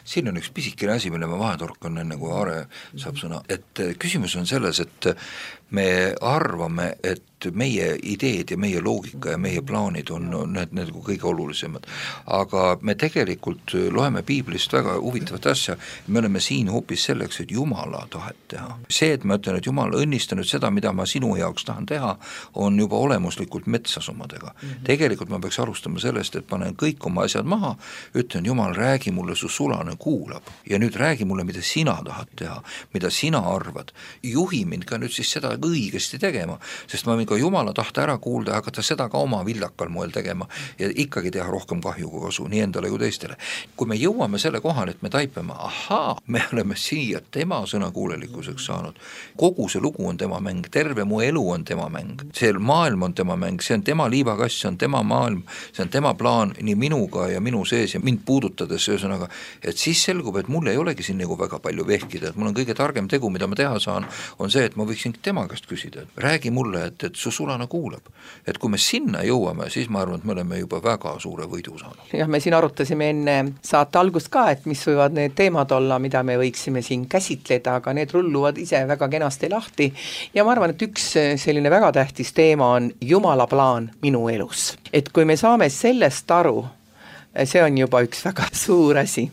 Siin on üks pisikene asi, mille ma vahetorkan enne kui Aare saab sõna, et küsimus on selles, et me arvame, et meie ideed ja meie loogika ja meie plaanid on need, need kõige olulisemad. Aga me tegelikult loeme piiblist väga huvitavat asja, me oleme siin hoopis selleks, et Jumala tahet teha. See, et ma ütlen, et Jumal õnnistanud seda, mida ma sinu jaoks tahan teha, on juba olemuslikult metsasumadega. Mm-hmm. Tegelikult ma peaks alustama sellest, et panen kõik oma asjad maha, ütlen, Jumal, räägi mulle, su sulane kuulab ja nüüd räägi mulle, mida sina tahad teha, mida sina arvad. Juhi mind ka nüüd siis seda õigesti tegema, sest ma võin ka Jumala tahta ära kuulda ja hakata seda ka oma villakal moel tegema ja ikkagi teha rohkem kahju kui kasu, nii endale kui teistele. Kui me jõuame selle kohale, et me taipame, ahaa, me oleme siia tema sõnakuulelikkuseks saanud. Kogu see lugu on tema mäng, terve mu elu on tema mäng, see maailm on tema mäng, see on tema liivakass, see on tema maailm, see on tema plaan nii minuga ja minu sees ja mind puudutades, ühesõnaga, et siis selgub, et mul ei olegi siin nagu väga palju vehkida, et mul on kõige targem tegu, mida ma teha saan, on see, et ma võiksin tema käest küsida, et räägi mulle, et, et su sulane kuulab. Et kui me sinna jõuame, siis ma arvan, et me oleme juba väga suure võidu saanud. Jah, me siin arutasime enne saate algust ka, et mis võivad need teemad olla, mida me võiksime siin käsitleda, aga need rulluvad ise väga kenasti lahti ja ma arvan, et üks selline väga tähtis teema on Jumala plaan minu elus. Et kui me saame sellest aru, see on juba üks väga suur asi.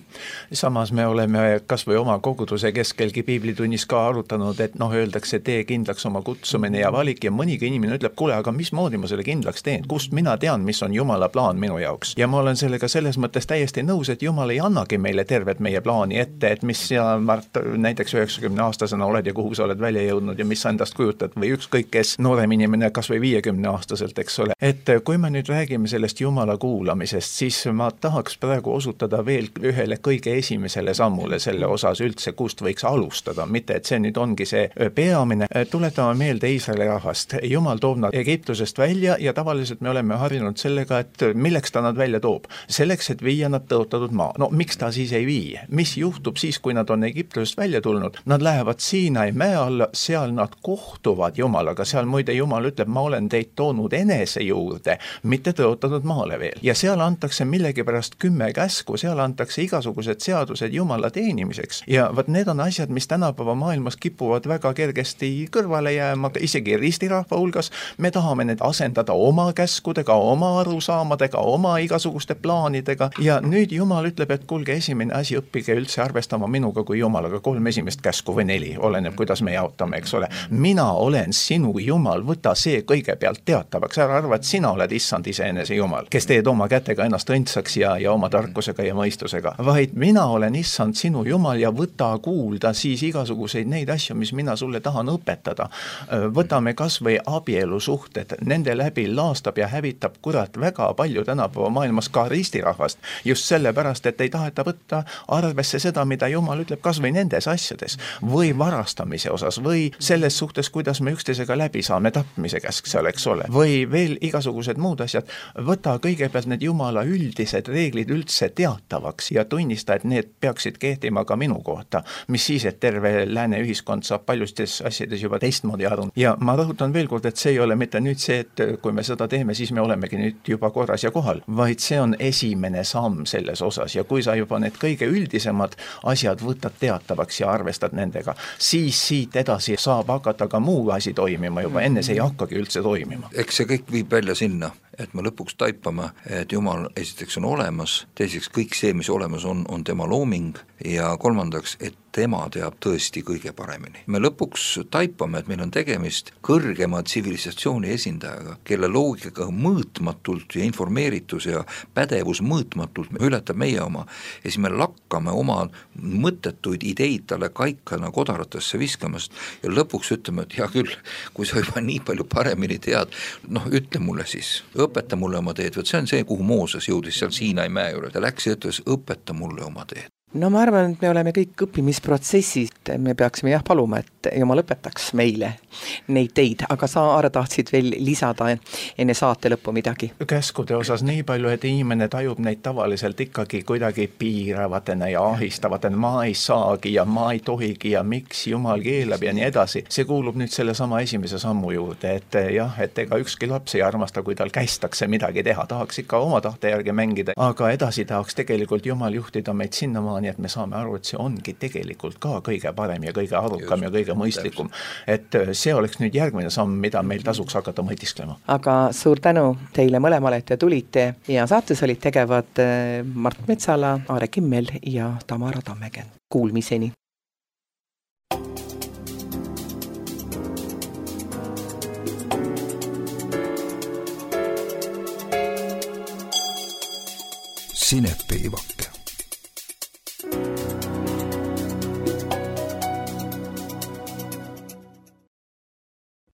Samas me oleme kas või oma koguduse keskelgi piiblitunnis ka arutanud, et noh, öeldakse, tee kindlaks oma kutsumine ja valik ja mõnigi inimene ütleb, kuule, aga mismoodi ma selle kindlaks teen, kust mina tean, mis on Jumala plaan minu jaoks. Ja ma olen sellega selles mõttes täiesti nõus, et Jumal ei annagi meile tervet meie plaani ette, et mis sina, Mart, näiteks üheksakümne aastasena oled ja kuhu sa oled välja jõudnud ja mis sa endast kujutad või ükskõik kes noorem inimene kas või viiekümne aastaselt, eks ole. Et kui me nüüd räägime sellest Jumala kuulamisest, siis ma tahaks praegu osutada veel ühele kõige esimesele sammule selle osas üldse, kust võiks alustada, mitte et see nüüd ongi see peamine. Tuletame meelde Iisraeli rahvast. Jumal toob nad Egiptusest välja ja tavaliselt me oleme harjunud sellega, et milleks ta nad välja toob. Selleks, et viia nad tõotatud maa. No miks ta siis ei vii? Mis juhtub siis, kui nad on Egiptusest välja tulnud? Nad lähevad Siinai mäe alla, seal nad kohtuvad Jumalaga. Seal muide Jumal ütleb, ma olen teid toonud enese juurde, mitte tõotatud maale veel. Ja seal antakse millegipärast kümme käsku, seal antakse igasugused seadused Jumala teenimiseks. Ja võt need on asjad, mis tänapäeva maailmas kipuvad väga kergesti kõrvale jääma, isegi ristirahva hulgas. Me tahame need asendada oma käskudega, oma arusaamadega, oma igasuguste plaanidega. Ja nüüd Jumal ütleb, et kuulge, esimene asi, õppige üldse arvestama minuga kui Jumalaga, kolm esimest käsku või neli, oleneb, kuidas me jaotame, eks ole. Mina olen sinu Jumal, võta see kõigepealt teatavaks, ära arva, et sina oled issand iseenese Jumal, kes teed oma kätega ennast õndsaks ja, ja oma tarkusega ja mõistusega, vaid mina olen issand sinu Jumal ja võta kuulda siis igasuguseid neid asju, mis mina sulle tahan õpetada. Võtame kas või abielusuhted, nende läbi laastab ja hävitab kurat väga palju tänapäeva maailmas ka ristirahvast, just sellepärast, et ei taheta võtta arvesse seda, mida Jumal ütleb kas või nendes asjades, või varastamise osas, või selles suhtes, kuidas me üksteisega läbi saame, tapmise käsk seal, eks ole, või veel igasugused muud asjad. Võta kõigepealt need Jumala üldised reeglid üldse teatavaks ja tunnista, et need peaksid kehtima ka minu kohta, mis siis, et terve lääne ühiskond saab paljustes asjades juba teistmoodi aru. Ja ma rõhutan veel kord, et see ei ole mitte nüüd see, et kui me seda teeme, siis me olemegi nüüd juba korras ja kohal, vaid see on esimene samm selles osas ja kui sa juba need kõige üldisemad asjad võtad teatavaks ja arvestad nendega, siis siit edasi saab hakata ka muu asi toimima juba, enne see ei hakkagi üldse toimima. Eks see kõik viib välja sinna, et me lõpuks taipame, et Jumal esiteks on olemas, teiseks kõik see, mis olemas on, on tema looming ja kolmandaks, et tema teab tõesti kõige paremini. Me lõpuks taipame, et meil on tegemist kõrgema tsivilisatsiooni esindajaga, kelle loogikaga mõõtmatult ja informeeritus ja pädevus mõõtmatult ületab meie oma ja siis me lakkame oma mõttetuid ideid talle kaikana kodaratesse viskamast ja lõpuks ütleme, et hea küll, kui sa juba nii palju paremini tead, noh ütle mulle siis, õpeta mulle oma teed, võt see on see, kuhu Mooses jõudis seal Siinai mäe juures, ta läks ja ütles, õpeta mulle oma teed. no ma arvan, et me oleme kõik õppimisprotsessis, me peaksime jah paluma, et jumal õpetaks meile neid teid, aga sa, Aare, tahtsid veel lisada enne saate lõppu midagi? Käskude osas nii palju, et inimene tajub neid tavaliselt ikkagi kuidagi piiravatena ja ahistavatena, ma ei saagi ja ma ei tohigi ja miks jumal keelab ja nii edasi. See kuulub nüüd selle sama esimese sammu juurde, et jah, et ega ükski laps ei armasta, kui tal kästakse midagi teha, tahaks ikka oma tahte järgi mängida, aga edasi tahaks tegelikult jumal juhtida meid sinnamaani, nii et me saame aru, et see ongi tegelikult ka kõige parem ja kõige arukam Just, ja kõige mõistlikum. Et see oleks nüüd järgmine samm, mida meil tasuks hakata mõtisklema. Aga suur tänu teile mõlemale, et te tulite ja saates olid tegevad Mart Metsala, Aare Kimmel ja Tamara Tammegen. Kuulmiseni! Sinepiivak.